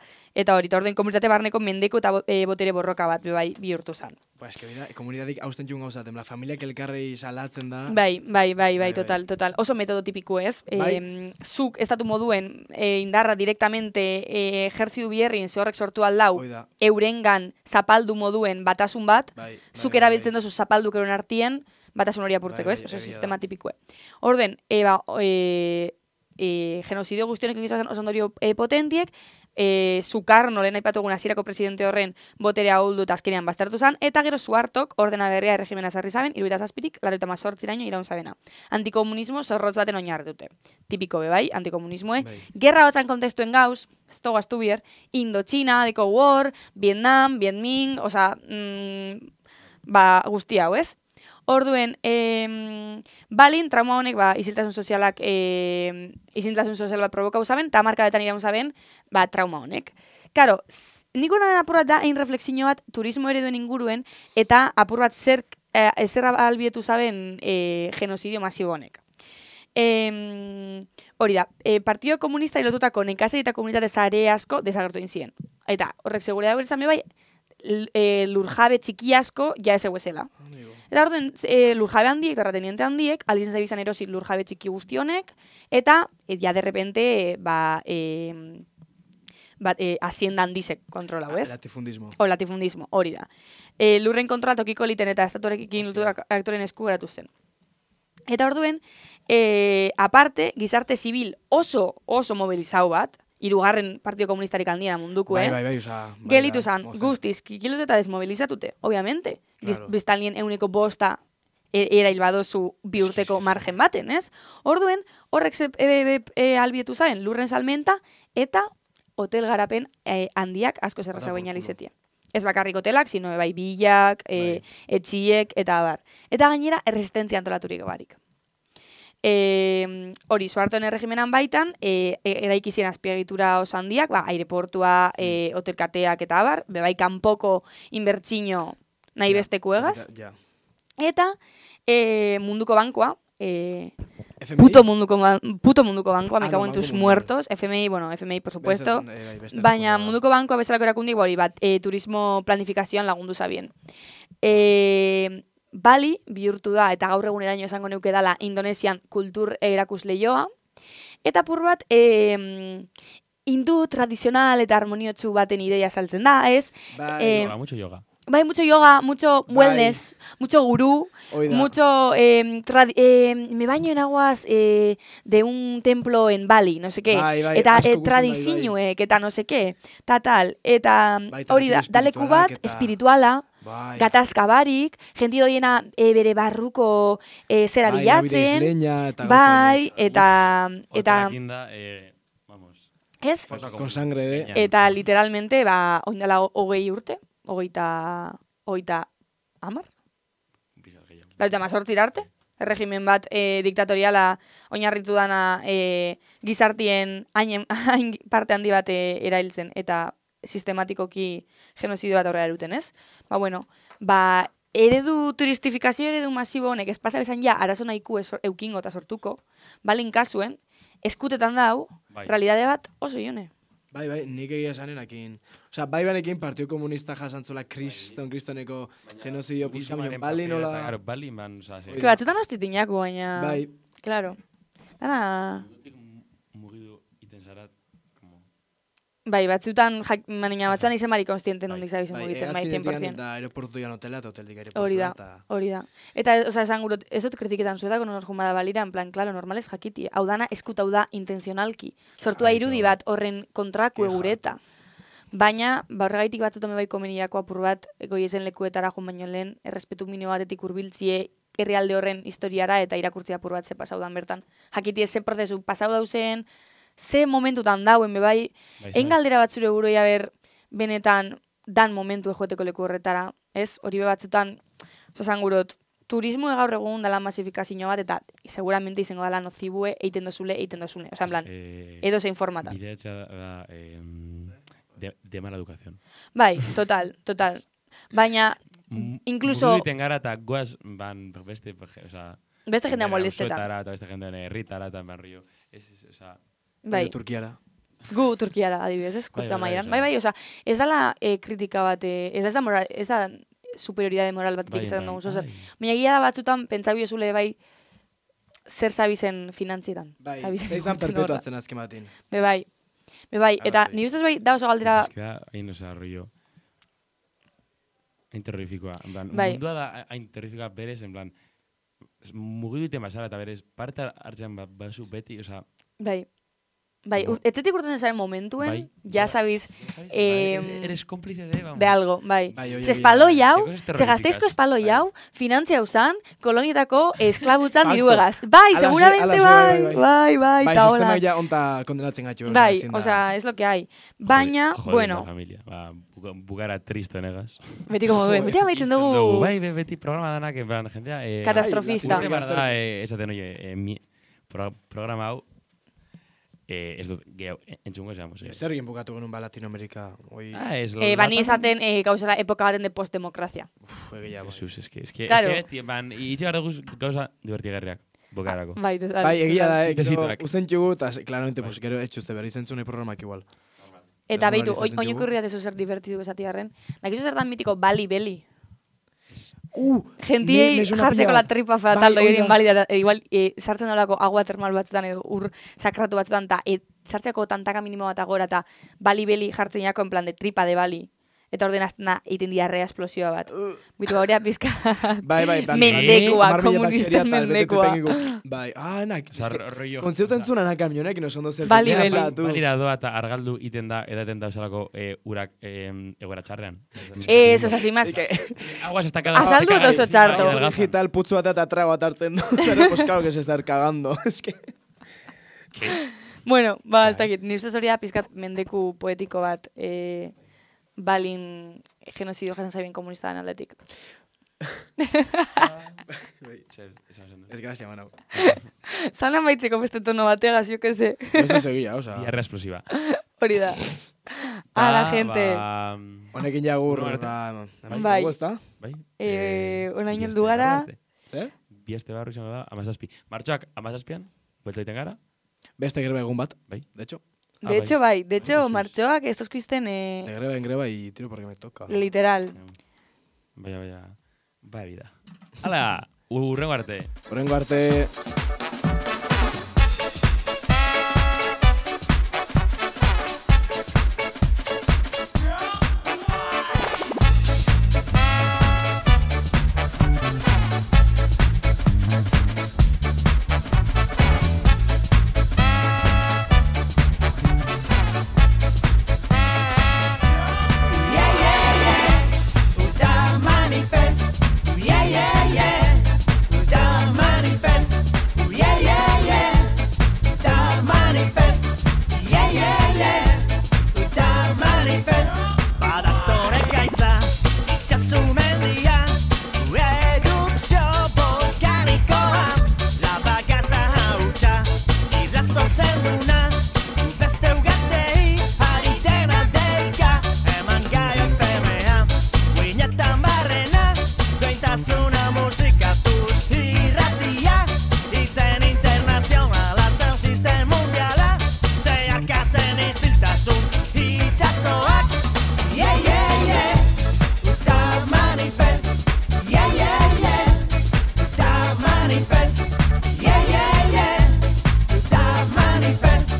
hori, orden komunitate barneko mendeko eta botere borroka bat bihurtu zan. Pues que mira, komunitatik hausten txun gauzaten, la familiak elkarrei salatzen da. Bai, total. Oso metodo tipiko ez. Zuk estatu moduen indarra directamente ejerzidu bierrin ze horrek sortu aldau, eurengan zapaldu moduen batasun bat, zuk erabiltzen dozu zapalduk euren artien, batasun hori apurtzeko, ez? Oso sistema tipikoe. Orden, genozidio guztionek egizazen oso ondorio potentiek, Sukarno lehen aipatu egun hasierako presidente horren boterea ahuldu eta azkenean baztertu zan, eta gero Suhartok ordena berria erregimena zarri zaben, 78tik 88raino iraun zabena. Antikomunismo zorrotz baten oinarritute. Tipiko bai, antikomunismoe. Gerra batzan kontestuen gauz, ez togo astu bier, Indochina, Deko War, Vietnam, Vietming, guzti hau, ez? Orduen, Balin, trauma honek, isiltasun sozial bat provokau zaben, eta markadetan iraun zaben, trauma honek. Karo, nik honen apur bat da, refleksio bat turismo ereduen inguruen, eta apur bat zerra albietu zaben genozidio masibo honek. Hori da, Partido Komunista ilotutako nekazari eta komunitate zare asko desagertu inzien. Eta horrek seguridad berezame bai, lurjabe txiki asko ja ez eguezela. Eta orden, lurjabe handiek, terrateniente handiek, aldizen zaibizan erosi lurjabe txiki guztionek, eta ja de repente, hacienda handizek kontrolau, ez? Latifundismo. Latifundismo, hori da. Lurren kontrola tokiko eliten eta estatuarekin aktoren esku geratu zen. Eta orduen, aparte, gizarte zibil oso mobilizau bat, 3. Partido Komunistarik handiena munduko, gelitu zan, guztiz, kikilotu eta desmobilizatute, obviamente. Biztanlien 5% erail badozu 2 urteko margen baten, ez? Orduen, horrek albietu zaren lurren salmenta eta hotel garapen handiak asko zerraza baina lizetia. Ez bakarrik hotelak, sino bilak, etxiek, eta abar. Eta gainera, erresistentzia antolaturik barik. Hori, Suhartoen erregimenan baitan, eraikizien azpiegitura oso handiak, aireportua, hotelkateak eta abar, bebai kanpoko inbertsino nahi besteko egaz. Eta munduko bankoa, puto munduko bankoa, me cago en tus muertos, FMI, bueno, FMI por supuesto, baina munduko bankoa bezalako erakundik hori bat, turismo planifikazioan lagundu zabien. Bali bihurtu da, eta gaur eguneraino esango neuke dala, Indonesian kultur erakusleioa, eta pur bat, hindu tradizional eta harmoniotsu baten ideia saltzen da, ez? Mucho yoga. Bai, mucho yoga, mucho wellness, mucho gurú, mucho... me baño en aguas de un templo en Bali, no sé qué. Eta tradizinuek, eta no sé qué. Tal. Eta hori da, daleku bat, espirituala, gatazka barik, jenti doiena bere barruko zera bilatzen. Bai, eta... Ez? Con sangre de... Eta literalmente, oindala 20 urte. Hogeita amar? Lauta mazortzir arte? Erregimen bat diktatoriala oinarritu dana gizartien hain parte handi bat erailtzen eta sistematikoki genozidio bat horrela eruten, ez? Eredu turistifikazio eredu masibo honek ez pasa bezan ja arazo nahiku eukingo eta sortuko, balin kasuen, eskutetan dau, realidade bat oso jone. Bai, nik egia esanenakin. Osa, banekin Partio Komunista jasantzola kristoneko genozidio pulsaminen Bali nola... Bali, man, osa... Ez que batzutan hostitu inako, baina... Bai. Claro. Dana... Mugidu iten zarat, como... Bai, batzutan, batzutan izen mari konstienten hondik zabizen mugitzen, bai, 100%. Eta aeroportu dian hotela, eta hoteldik aeroportu. Hori da. Eta, oza, esan gurot, ez dut kritiketan zuetako nor jumada balira, en plan, klaro, normales jakiti. Hau dana eskutau da intenzionalki. Sortua irudi bat horren kontraku egureta. Baina, horregaitik batzutan bai komeniako apur bat, goiezen lekuetara jun baino lehen, errespetu minimo batetik urbiltzie herrialde horren historiara eta irakurtzia apur bat ze pasau dan bertan. Jakiti ez ze prozesu pasau dauzen, ze momentutan dauen, bai, engaldera bat zure buroi haber benetan dan momentu ejoeteko leku horretara, ez? Hori batzutan, zazan gurot, turismo gaur egun dala masifikazio bat, eta seguramente izango dala nozibue eiten dozule. Osa, en plan, edo zein formatan. Bidea da de mala educación. Bai, total. Baina, incluso... Mugu diten gara eta goaz beste jendea molestetan. Beste jendea herritara eta barrio. Bai. Turkiara. Gu Turkiara, adibidez, ez? Kurtza maian. Bai, oza, ez dala kritika bat, ez da superioridade moral batetik izaten dugu, zozer. Baina egia da batzutan, pentsabio zule, bai, zer zabizen finantzietan. Bai, zeizan perpetuatzen azken batin. Bai, eta nire ustez bai, da oso galdera... Ez da, hain oza, rollo... Hain terrorifikoa. En plan, mundua da hain terrorifikoa berez, en plan... Mugidu iten basara eta berez, parte hartzen basu beti, oza... Bai, etzetik urten zaren momentuen, ya sabiz... Eres cómplice de algo, bai. Se espaloi hau, se gazteizko espaloi hau, finantzia usan, kolonietako esklabutzan diruegaz. Bai, seguramente bai, ta hola. Sistema ya onta kondenatzen gatxu. Bai, oza, es lo que hay. Baina, bueno... Bugara tristo negaz. Beti como duen, beti amaitzen dugu... Bai, beti programa danak, en plan, jendea... Katastrofista. Esaten, oie, programa hau, ez dut, gehiago, entzungo esamos. Zer egin bukatu genuen ba Latinoamerika? Bani esaten gauzara epoka baten de postdemokrazia. Egia, bai. Jesus, es que beti, itxe gara gauza divertigarriak. Bokarako. Bai, egia da, usten txugu, eta claramente, pues, gero etxuzte berri zentzunei programak igual. Eta behitu, oinoko irriat eso zer divertidu esatiarren. Nakizu zer dan mitiko Bali Beli. Gentiei jartzeko la tripa fataldo egin balida, igual sartzen dolako agua termal batzutan edo ur sakratu batzutan, eta sartzeko tantaka minimo bat agora, eta Bali Beli jartzen jako en plan de tripa de Bali. Eta orden aztena iten diarrea esplosioa bat. Bitu gaurea pizka... Bai, mendekua, komunista mendekua. Bai, nak, kontzeuta entzuna nak kamionek, no sondo zer... Bali Beli. Balira doa eta argaldu iten da, edaten da usalako urak egoera txarrean. Ez, oza, sin más. Aguas está cada... Azaldu eta oso txarto. Digital putzu bat eta trago bat hartzen du. Pero, pues, claro que se estar cagando. Es que... Bueno, ez dakit, nire ustez hori da pizkat mendeku poetiko bat... Balin genozidio jasen zabien komunista den aldetik. Ez grazia, manau. Zanan baitzeko beste tono bategaz, jo que se. Ez egia, oza. Diarra explosiva. Hori da. La gente. Honekin jagur. Bai. Bai. Onaino heldu gara. Zer? bieste barru izango da, 17. Martxoak 17an, buelta egiten gara? Beste greba egun bat, bai. De hecho. Bai. De hecho, martxoak estos kuisten... De greba en greba y tiro porque me toca. Literal. Vaya vida. Hala, urrengo arte. Urrengo arte.